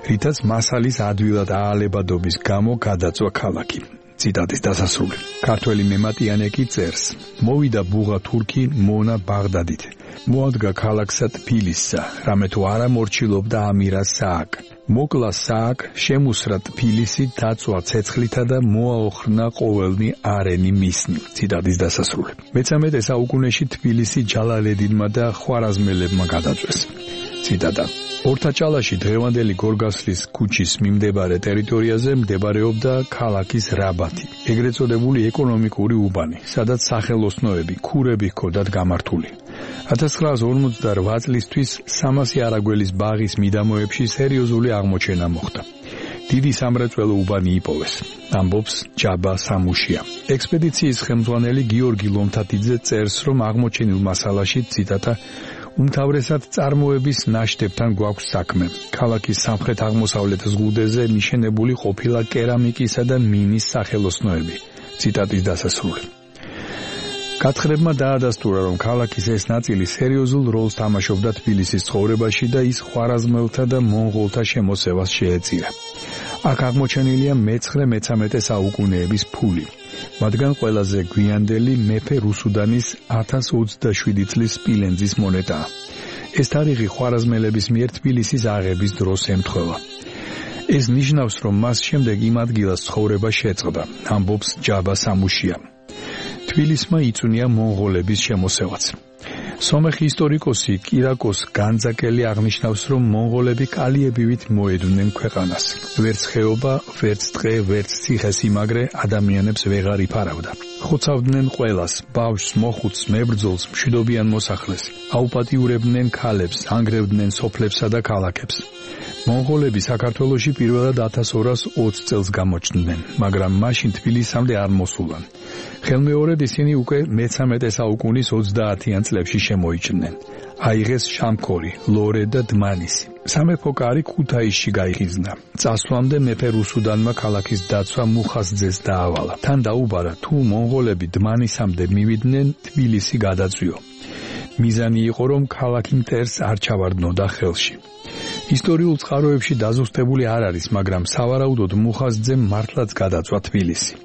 M: რითაც მასალის ადვილად აალებადობის გამო გადაწვა ქალაქი. ციტატის დასასრული. ქართველი მემატიანე კი წერს: მოვიდა ბუღა თურქი მონა ბაღდადით. მოადგა ქალაქსა თბილისსა, რამე თუ არა მორჩილობდა ამირა სააკ. მოკლა სააკ, შემუსრა თბილისი დაწვა ცეცხლითა და მოაოხრნა ყოველნი არენი მისნი. ციტატის დასასრული. მეცამეტე საუკუნეში თბილისი ჯალალედინმა და ხვარაზმელებმა გადაწვეს. ციტატა: ორთაჭალაში დღევანდელი გორგასლის ქუჩის მიმდებარე ტერიტორიაზე მდებარეობდა ქალაქის რაბათი, ეგრეთ წოდებული ეკონომიკური უბანი, სადაც სახელოსნოები, ქურები ჰქონდათ გამართული. ათას ცხრაას ორმოცდარვა წლისთვის სამასი არაგველის ბაღის მიდამოებში სერიოზული აღმოჩენა მოხდა. დიდი სამრეწველო უბანი იპოვეს, ამბობს ჯაბა სამუშია. ექსპედიციის ხელმძღვანელი გიორგი ლომთათიძე წერს, რომ აღმოჩენილ მასალაში, ციტატა, უმთავრესად წარმოების ნაშთებთან გვაქვს საქმე. ქალაქის სამხრეთ-აღმოსავლეთ ზღუდეზე მიშენებული ყოფილა კერამიკისა და მინის სახელოსნოები. ციტატის დასასრული. გათხრებმა დაადასტურა, რომ ქალაქის ეს ნაწილი სერიოზულ როლს თამაშობდა თბილისის ცხოვრებაში და ის ხვარაზმელთა და მონღოლთა შემოსევას შეეწირა. აქ აღმოჩენილია მეცხრე-მეცამეტე საუკუნეების ფული. მათგან ყველაზე გვიანდელი მეფე რუსუდანის ათას ოცდაშვიდი წლის სპილენძის მონეტაა. ეს თარიღი ხვარაზმელების მიერ თბილისის აღების დროს ემთხვევა. ეს ნიშნავს, რომ მას შემდეგ იმ ადგილას ცხოვრება შეწყდა, ამბობს ჯაბა სამუშია. თბილისმა იწვნია მონღოლების შემოსევაც. სომეხი ისტორიკოსი კირაკოს განძაკელი აღნიშნავს, რომ მონღოლები კალიებივით მოედვნენ ქვეყანას. ვერც ხეობა, ვერც ტყე, ვერც ციხესიმაგრე ადამიანებს ვეღარ იფარავდა. ხოცავდნენ ყველას, ბავშვს, მოხუცს, მებრძოლს, მშვიდობიან მოსახლეს. აუპატიურებდნენ ქალებს, ანგრევდნენ სოფლებსა და ქალაქებს. მონღოლები საქართველოში პირველად ათას ორას ოცი წელს გამოჩნდნენ, მაგრამ მაშინ თბილისამდე არ მოსულან. ხელმეორედ ისინი უკვე მეცამეტე საუკუნის ოცდაათიან წლებში შემოიჭრნენ. აიღეს შამქორი, ლორე და დმანისი. სამეფო კარი ქუთაისში გაიხიზნა. წასვლამდე მეფე რუსუდანმა ქალაქის დაცვა მუხაზძეს დაავალა. თან დაუბარა, თუ მონღოლები დმანისამდე მივიდნენ, თბილისი გადაწვიო. მიზანი იყო, რომ ქალაქი მტერს არ ჩავარდნოდა ხელში. ისტორიულ წყაროებში დაზუსტებული არ არის, მაგრამ სავარაუდოდ მუხაზძემ მართლაც გადაწვა თბილისი.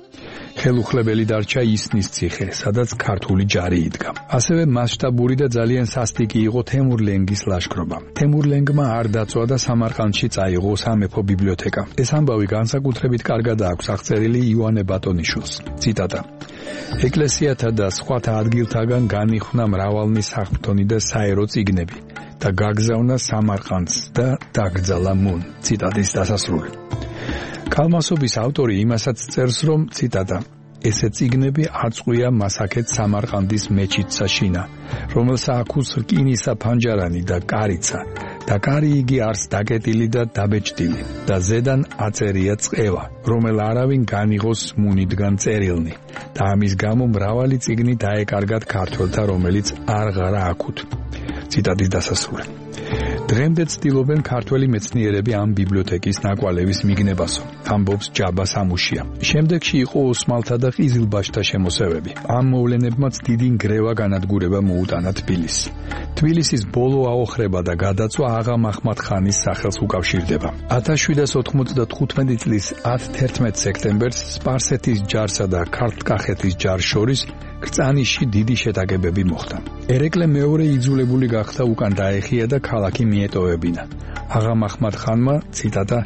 M: ხელუხლებელი დარჩა ისნის ციხე, სადაც ქართული ჯარი იდგა. ასევე მასშტაბური და ძალიან სასტიკი იყო თემურლენგის ლაშქრობა. თემურლენგმა არ დაწვა და სამარყანდში წაიღო სამეფო ბიბლიოთეკა. ეს ამბავი განსაკუთრებით კარგად აქვს აღწერილი ივანე ბატონიშვილს. ციტატა: ეკლესიათა და სხვათა ადგილთაგან განიხונה მრავალნი საღვთონი და საერო წიგნები და გაგზავნა სამარყანდს და დაკრძალა მუნ. ციტატის დასასრული. კალმასობის ავტორი იმასაც წერს, რომ ციტატა: ესე წიგნები აწყვია მასაკეთ სამარყანდის მეჩეთსა შინა, რომელსა აქვს რკინისა ფანჯარანი და კარიცა და კარი იგი არს დაკეტილი და დაბეჭდილი და ზედან აწერია წყევა, რომელ არავინ განიღოს მუნიდან წერილნი და ამის გამო მრავალი წიგნი დაეკარგათ ქართველთა, რომელიც არღარა აქვთ. ციტატის დასასრული. დღემდე ცდილობენ ქართველი მეცნიერები ამ ბიბლიოთეკის ნაკვალევის მიგნებასო, ამბობს ჯაბა სამუშია. შემდეგში იყო ოსმალთა და ყიზილბაშთა შემოსევები. ამ მოვლენებმაც დიდი ნგრევა განადგურება მოუტანა თბილისს. თბილისის ბოლო აოხრება და გადაწვა აღა მაჰმად ხანის სახელს უკავშირდება. ათას შვიდას ოთხმოცდათხუთმეტი წლის ათი სექტემბერს სპარსეთის ჯარსა და ქართლ-კახეთის ჯარს შორის კრწანიშში დიდი შეტაკებები მოხდა. ერეკლე მეორე იძულებული გახდა უკან დაეხია და ქალაქი მიეტოვებინა. აღა მაჰმად ხანმა, ციტატა,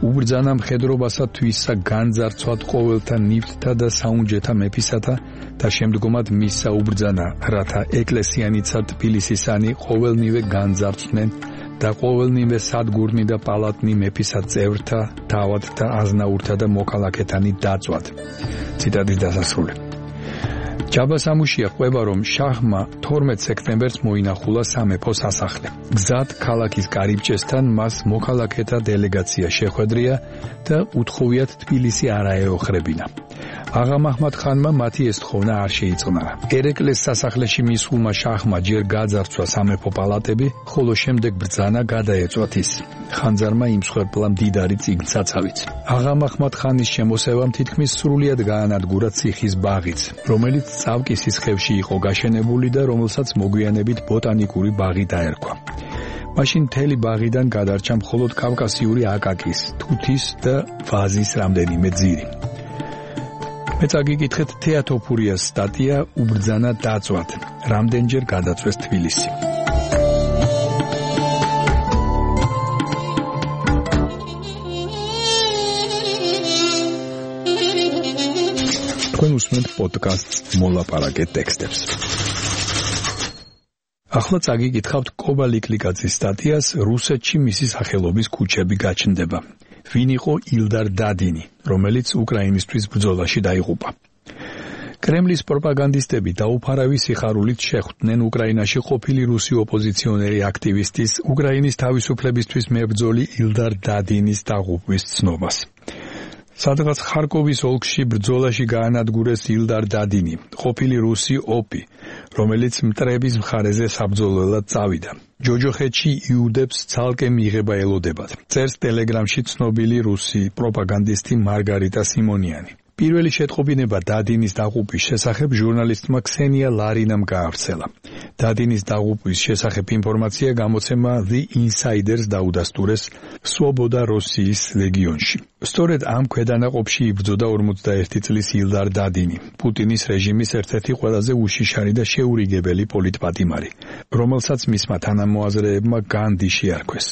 M: უბრძანა მხედრობასა თვისა განძარცვად ყოველთა ნივთთა და საუნჯეთა მეფისათა და შემდგომად მისსა უბრძანა, რათა ეკლესიანიცა თბილისისანი ყოველნივე განძარცვნენ და ყოველნივე სადგურნი და პალატნი მეფისა წევრთა, თავადთა, აზნაურთა და მოქალაქეთანი დაწვათ. ციტატის დასასრული. ჯაბა სამუშია ყვება, რომ შაჰმა თორმეტ სექტემბერს მოინახულა სამეფო სასახლე. გზად ქალაქის კარიბჭესთან მას მოქალაქეთა დელეგაცია შეხვედრია და უთხოვიათ თბილისი არ აეოხრებინა. აღა მაჰმად ხანმა მათი ეს თხოვნა არ შეიწყნარა. ერეკლეს სასახლეში მისულმა შაჰმა ჯერ გაძარცვა სამეფო პალატები, ხოლო შემდეგ ბრძანა გადაეწვათ ის. ხანძარმა იმსხვერპლა მდიდარი წიგნსაცავიც. აღა მაჰმად ხანის შემოსევამ თითქმის სრულიად გაანადგურა ციხის ბაღიც, რომელიც წავკის სისხლში იყო გაშენებული და რომელსაც მოგვიანებით ბოტანიკური ბაღი დაერქვა. მაშინ მთელი ბაღიდან გადარჩა მხოლოდ კავკასიური აკაკის, თუთის და ვაზის რამდენიმე ძირი. მე წაგიკითხეთ თეატოფურიას სტატია უბრძანა დაწვათ, რამდენჯერ გადაწვეს თბილისი. თქვენ უსმენთ პოდკასტს მოლაპარაკე ტექსტებს. ახლა წაგიკითხავთ კობა ლიკლიკაძის სტატიას რუსეთში მისი სახელობის ქუჩები გაჩნდება. ვინ იყო ილდარ დადინი, რომელიც უკრაინისთვის ბრძოლაში დაიღუპა. კრემლის პროპაგანდისტები დაუფარავი სიხარულით შეხვდნენ უკრაინაში ყოფილი რუსი ოპოზიციონერი აქტივისტის, უკრაინის თავისუფლებისთვის მებრძოლი ილდარ დადინის დაღუპვის ცნობას. სადღაც ხარკოვის ოლქში ბრძოლაში გაანადგურეს ილდარ დადინი, ყოფილი რუსი ოპი, რომელიც მტრების მხარეზე საბრძოლველად წავიდა. ჯოჯოხეთში იუდებს ცალკე მიღება ელოდებათ. წერს ტელეგრამში ცნობილი რუსი პროპაგანდისტი მარგარიტა სიმონიანი. პირველი შეტყობინება დადინის დაღუპვის შესახებ ჟურნალისტმა ქსენია ლარინამ გაავრცელა. დადინის დაღუპვის შესახებ ინფორმაცია გამოცემა The Insiders დაუდასტურეს სვობოდა როსიის ლეგიონში. სწორედ ამ ქვედანაყოფში იბრძოდა ორმოცდაერთი წლის ილდარ დადინი, პუტინის რეჟიმის ერთ-ერთი ყველაზე უშიშარი და შეურიგებელი პოლიტპატიმარი, რომელსაც მისმა თანამოაზრეებმა განდი შეარქვეს.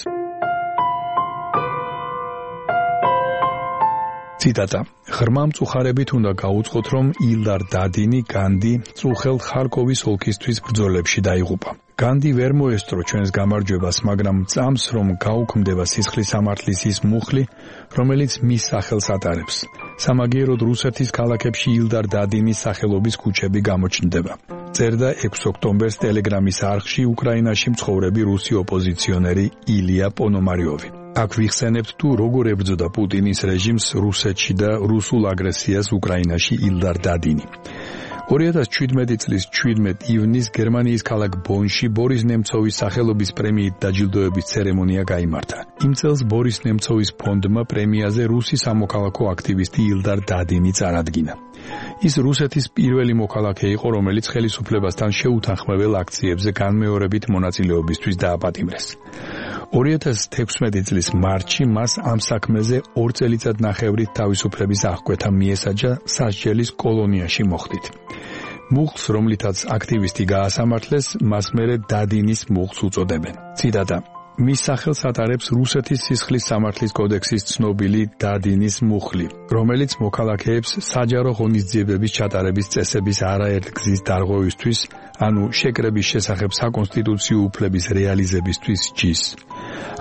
M: ციტატა: ღრმა მწუხარებით უნდა გაუწყოთ, რომ ილდარ დადინი განდი წუხელ ხარკოვის ოლქისთვის ბრძოლებში დაიღუპა. განდი ვერ მოესწრო ჩვენს გამარჯვებას, მაგრამ წამს, რომ გაუქმდება სისხლის სამართლის ის მუხლი, რომელიც მის სახელს ატარებს. სამაგიეროდ რუსეთის ქალაქებში ილდარ დადინის სახელობის ქუჩები გამოჩნდება. წერდა ექვსი ოქტომბერს ტელეგრამის არხში უკრაინაში მცხოვრები რუსი ოპოზიციონერი ილია პონომარიოვი. აქ ვიხსენებთ თუ როგორ ებრძოდა პუტინის რეჟიმს რუსეთში და რუსულ აგრესიას უკრაინაში ილდარ დადინი. ორი ათას ჩვიდმეტი წლის ჩვიდმეტ ივნის გერმანიის ქალაქ ბონში ბორის ნემცოვის სახელობის პრემიით დაჯილდოების ცერემონია გაიმართა. იმ წელს ბორის ნემცოვის ფონდმა პრემიაზე რუსი სამოქალაქო აქტივისტი ილდარ დადინი წარადგინა. ის რუსეთის პირველი მოქალაქე იყო, რომელიც ხელისუფლებასთან შეუთანხმებელ აქციებზე განმეორებით მონაწილეობისთვის დააპატიმრეს. ორი ათას თექვსმეტი წლის მარტში მას ამ საქმეზე ორ წელიწადნახევრით თავისუფლების აღკვეთა მიესაჯა სასჯელის კოლონიაში მოხდით. მუხლს, რომლითაც აქტივისტი გაასამართლეს, მას მერე დადინის მუხლს უწოდებენ. ციტატა: მის სახელს ატარებს რუსეთის სისხლის სამართლის კოდექსის ცნობილი დადინის მუხლი, რომელიც მოქალაქეებს საჯარო ღონისძიებების ჩატარების წესების არაერთ გზის დარღვევისთვის, ანუ შეკრების შესახებ საკონსტიტუციო უფლების რეალიზებისთვის ჯის.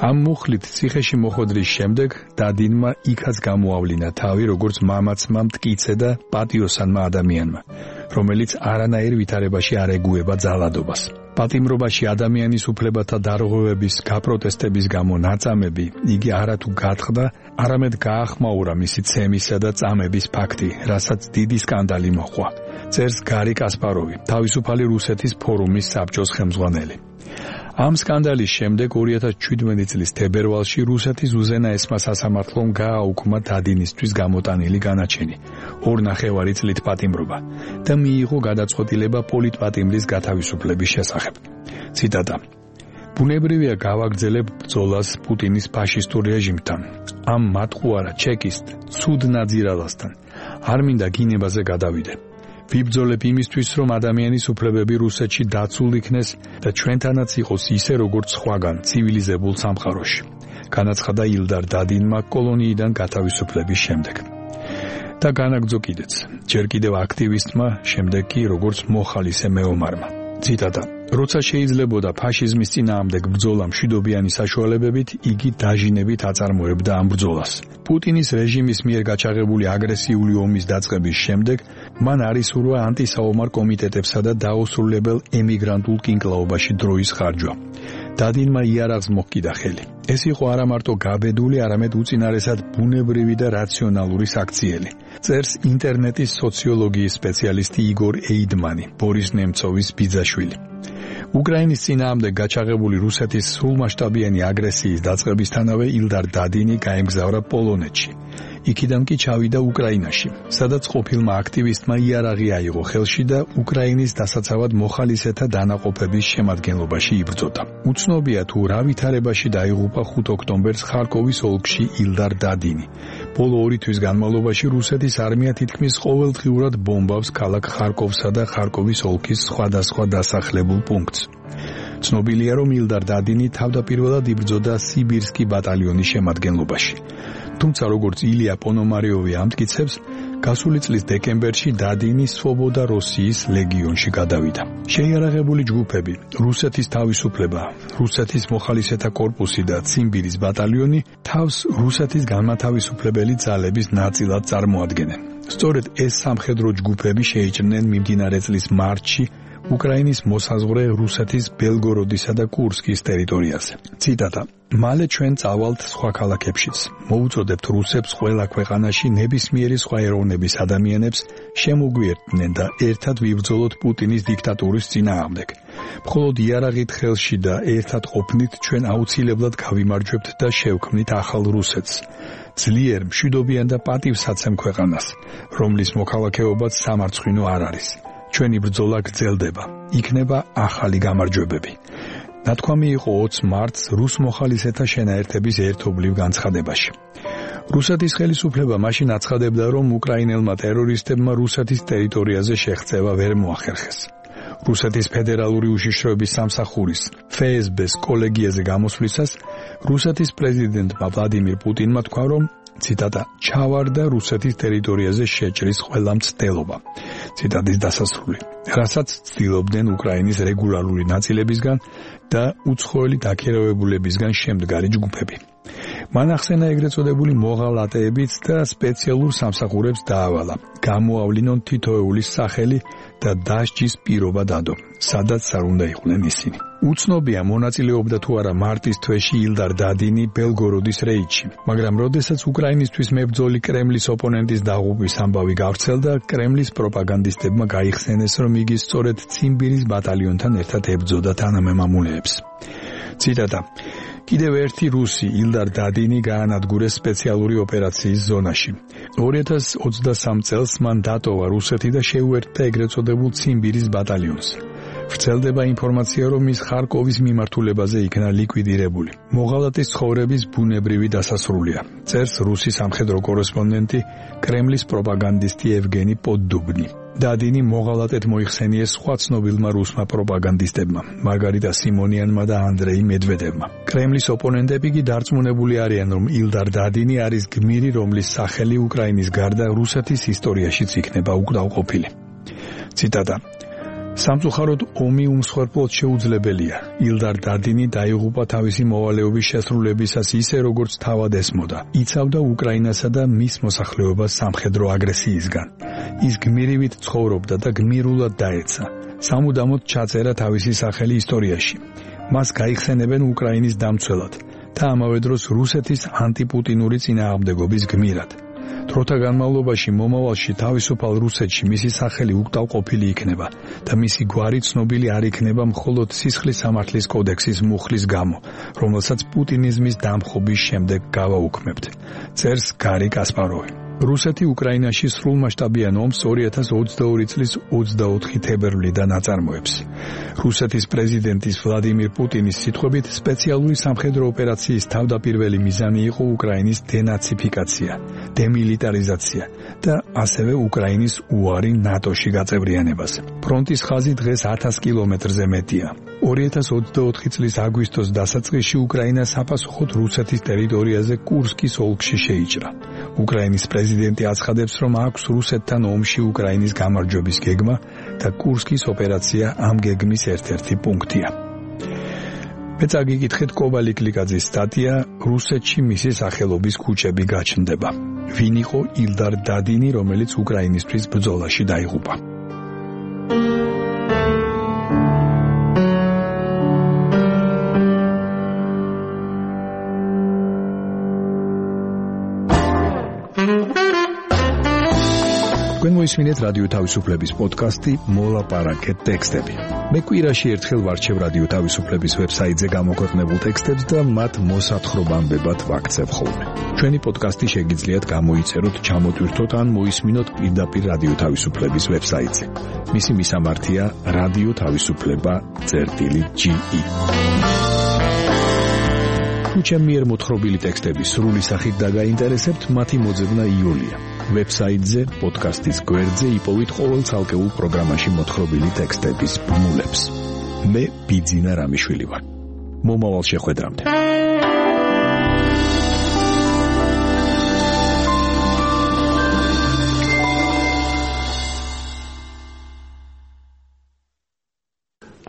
M: ამ მუხლით ციხეში მოხვედრის შემდეგ დადინმა იქაც გამოავლინა თავი, როგორც მამაცმა მტკიცე და პატიოსანმა ადამიანმა, რომელიც არანაირ ვითარებაში არ ეგუება ძალადობას. პატიმრობაში ადამიანის უფლებათა დარღვევების გაპროტესტების გამო ნაწამები იგი არათუ გათხრდა, არამედ გაახმაურა მისი ცემისა და წამების ფაქტი, რასაც დიდი სკანდალი მოჰყვა. წერს გარი კასპაროვი, თავისუფალი რუსეთის ფორუმის საბჭოს ხელმძღვანელი. ამ სკანდალის შემდეგ ორი ათას ჩვიდმეტი წლის თებერვალში რუსეთის უზენაესმა სასამართლომ გააუქმა დადინისთვის გამოტანილი განაჩენი, ორ ნახევარი წლით პატიმრობა და მიიღო გადაწყვეტილება პოლიტპატიმრის გათავისუფლების შესახებ. ციტატა: ბუნებრივია გავაგრძელებ ბრძოლას პუტინის ფაშისტურ რეჟიმთან, ამ მატყუარა ჩეკისტ ცუდ ნაძირალასთან, არ მინდა გინებაზე გადავიდე. ვიბრძოლებ იმისთვის, რომ ადამიანის უფლებები რუსეთში დაცულ იქნეს და ჩვენთანაც იყოს ისე, როგორც სხვაგან ცივილიზებულ სამყაროში. განაცხადა ილდარ დადინმა კოლონიიდან გათავისუფლების შემდეგ. და განაგრძო კიდეც, ჯერ კიდევ აქტივისტმა, შემდეგ კი როგორც მოხალისე მეომარმა. ციტატა: როცა შეიძლებოდა ფაშიზმის წინააღმდეგ ბრძოლა მშვიდობიანი საშუალებებით, იგი დაჟინებით აწარმოებდა ამ ბრძოლას. პუტინის რეჟიმის მიერ გაჩაღებული აგრესიული ომის დაწყების შემდეგ მან არისურვა ანტისაომარ კომიტეტებსა და დაუსრულებელ ემიგრანტულ კინკლაობაში დროის ხარჯვა. დადინმა იარაღს მოჰკიდა ხელი. ეს იყო არა მარტო გაბედული, არამედ უწინარესად ბუნებრივი და რაციონალური საქციელი. წერს ინტერნეტის სოციოლოგიის სპეციალისტი იგორ ეიდმანი, ბორის ნემცოვის ბიძაშვილი. უკრაინის წინააღმდეგ გაჩაღებული რუსეთის სრულმასშტაბიანი აგრესიის დაწყებისთანავე ილდარ დადინი გაემგზავრა პოლონეთში. იქიდან კი ჩავიდა უკრაინაში, სადაც ყოფილმა აქტივისტმა იარაღი აიღო ხელში და უკრაინის დასაცავად მოხალისეთა დანაყოფების შემადგენლობაში იბრძოდა. უცნობია თუ რა ვითარებაში დაიღუპა ხუთი ოქტომბერს ხარკოვის ოლქში ილდარ დადინი. ბოლო ორი თვის განმავლობაში რუსეთის არმია თითქმის ყოველდღიურად ბომბავს ქალაქ ხარკოვსა და ხარკოვის ოლქის სხვადასხვა დასახლებულ პუნქტს. ცნობილია, რომ ილდარ დადინი თავდაპირველად იბრძოდა სიბირსკი ბატალიონის შემადგენლობაში. თუმცა როგორც ილია პონომარიოვი ამტკიცებს, გასული წლის დეკემბერში დადინი სვობოდა როსიის ლეგიონში გადავიდა. შეიარაღებული ჯგუფები, რუსეთის თავისუფლება, რუსეთის მოხალისეთა კორპუსი და ციმბირის ბატალიონი თავს რუსეთის განმათავისუფლებელი ძალების ნაწილად წარმოადგენენ. სწორედ ეს სამხედრო ჯგუფები შეიჭრნენ მიმდინარე წლის მარტში უკრაინის მოსაზღვრე რუსეთის ბელგოროდისა და კურსკის ტერიტორიაზე. ციტატა: მალე ჩვენ წავალთ სხვა ქალაქებშიც. მოუწოდებთ რუსებს ყველა ქვეყანაში ნებისმიერი სხვა ეროვნების ადამიანებს შემოგვიერთდნენ და ერთად ვიბრძოლოთ პუტინის დიქტატურის წინააღმდეგ. მხოლოდ იარაღით ხელში და ერთად ყოფნით ჩვენ აუცილებლად გავიმარჯვებთ და შევქმნით ახალ რუსეთს. ძლიერ, მშვიდობიან და პატივსაცემ ქვეყანას, რომლის მოქალაქეობაც სამარცხვინო არ არის. ჩვენი ბრძოლა გრძელდება, იქნება ახალი გამარჯვებები. ნათქვამი იყო ოცი მარტს რუს მოხალისეთა შენაერთების ერთობლივ განცხადებაში. რუსეთის ხელისუფლება მაშინ აცხადებდა, რომ უკრაინელმა ტერორისტებმა რუსეთის ტერიტორიაზე შეღწევა ვერ მოახერხეს. რუსეთის ფედერალური უშიშროების სამსახურის ეფ ეს ბე-ს კოლეგიაზე გამოსვლისას რუსეთის პრეზიდენტმა ვლადიმირ პუტინმა თქვა, რომ ციტატა: ჩავარდა რუსეთის ტერიტორიაზე შეჭრის ყველა მცდელობა. ციტატის დასასრული, რასაც ცდილობდნენ უკრაინის რეგულარული ნაწილებისგან და უცხოელი დაქირავებულებისგან შემდგარი ჯგუფები. მან ახსენა ეგრეთ წოდებული მოღალატეებიც და სპეციალურ სამსახურებს დაავალა. გამოავლინონ თითოეულის სახელი და დასჯის პირობა დადო, სადაც არ უნდა იყვნენ ისინი. უცნობია მონაწილეობდა თუ არა მარტის თვეში ილდარ დადინი ბელგოროდის რეიდში, მაგრამ როდესაც უკრაინისთვის მებრძოლი კრემლის ოპონენტის დაღუპვის ამბავი გავრცელდა, კრემლის პროპაგანდისტებმა გაიხსენეს, რომ იგი სწორედ ციმბირის ბატალიონთან ერთად ებრძოდა თანამემამულეებს. ციტატა: კიდევ ერთი რუსი ილდარ დადინი გაანადგურეს სპეციალური ოპერაციის ზონაში. ორი ათას ოცდასამ წელს მან დატოვა რუსეთი და შეუერთდა ეგრეთ წოდებულ ციმბირის ბატალიონს. ვრცელდება ინფორმაცია, რომ ის ხარკოვის მიმართულებაზე იქნა ლიკვიდირებული. მოღალატის ცხოვრების ბუნებრივი დასასრულია. წერს რუსი სამხედრო კორესპონდენტი, კრემლის პროპაგანდისტი ევგენი პოდდუბნი. დადინი მოღალატედ მოიხსენიეს სხვა ცნობილმა რუსმა პროპაგანდისტებმა, მარგარიტა სიმონიანმა და ანდრეი მედვედევმა. კრემლის ოპონენტები კი დარწმუნებული არიან, რომ ილდარ დადინი არის გმირი, რომლის სახელი უკრაინის გარდა რუსეთის ისტორიაშიც იქნება უკდავყოფილი. ციტატა: სამწუხაროდ ომი უმსხვერპლოდ შეუძლებელია. ილდარ დადინი დაიღუპა თავისი მოვალეობის შესრულებისას ისე, როგორც თავად ესმოდა. იცავდა უკრაინასა და მის მოსახლეობას სამხედრო აგრესიისგან. ის გმირივით ცხოვრობდა და გმირულად დაეცა. სამუდამოდ ჩაწერა თავისი სახელი ისტორიაში. მას გაიხსენებენ უკრაინის დამცველად და ამავე დროს რუსეთის ანტიპუტინური წინააღმდეგობის გმირად. დროთა განმავლობაში მომავალში თავისუფალ რუსეთში მისი სახელი უკდავყოფილი იქნება და მისი გვარი ცნობილი არ იქნება მხოლოდ სისხლის სამართლის კოდექსის მუხლის გამო, რომელსაც პუტინიზმის დამხობის შემდეგ გავაუქმებთ. წერს გარი კასპაროვი. რუსეთი უკრაინაში სრულმასშტაბიან ომს ორი ათას ოცდაორი წლის ოცდაოთხი თებერვლიდან აწარმოებს. რუსეთის პრეზიდენტის ვლადიმირ პუტინის სიტყვებით, სპეციალური სამხედრო ოპერაციის თავდაპირველი მიზანი იყო უკრაინის დენაციფიკაცია, დემილიტარიზაცია და ასევე უკრაინის უარი ნატოში გაწევრიანებას. ფრონტის ხაზი დღეს ათას კილომეტრზე მეტია. ორი ათას ოცდაოთხი წლის აგვისტოს დასაწყისში უკრაინა საპასუხოდ რუსეთის ტერიტორიაზე კურსკის ოლქში შეიჭრა. უკრაინის პრეზიდენტი აცხადებს, რომ აქვს რუსეთთან ომში უკრაინის გამარჯვების გეგმა და კურსკის ოპერაცია ამ გეგმის ერთ-ერთი პუნქტია. მე წაგიკითხეთ კობალი კლიკაძის სტატია რუსეთში მისი სახელობის ქუჩები გაჩნდება. ვინ იყო ილდარ დადინი, რომელიც უკრაინისთვის ბრძოლაში დაიღუპა? თქვენ მოისმინეთ რადიო თავისუფლების პოდკასტი მოლაპარაკე ტექსტები. მე კვირაში ერთხელ ვარჩევ რადიო თავისუფლების ვებსაიტზე გამოქვეყნებულ ტექსტებს და მათ მოსათხრობამდებად ვაქცევ ხოლმე. ჩვენი პოდკასტი შეგიძლიათ გამოიწეროთ, ჩამოტვირთოთ ან მოისმინოთ პირდაპირ რადიო თავისუფლების ვებსაიტზე. მისი მისამართია რადიო თავისუფლება წერტილი ჯი ი. თუ ჩემი მიერ მოთხრობილი ტექსტები სრული სახით დაგაინტერესებთ, მათი მოძებნა იოლია. ვებსაიტზე, პოდკასტის გვერდზე იპოვით ყოველ ცალკეულ პროგრამაში მოთხრობილი ტექსტების ბმულებს. მე ბიძინა რამიშვილი ვარ. მომავალ შეხვედრამდე.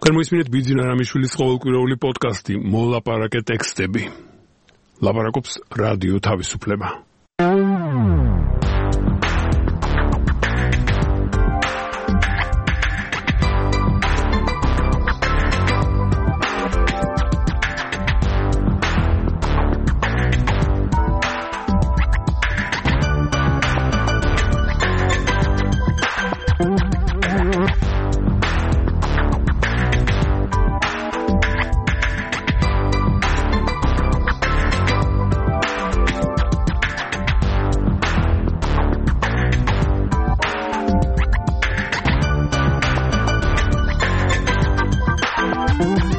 A: თქვენ მოისმინეთ ბიძინა რამიშვილის ყოველკვირეული პოდკასტი მოლაპარაკე ტექსტები. ლაპარაკობს რადიო თავისუფლება.
N: Thank you.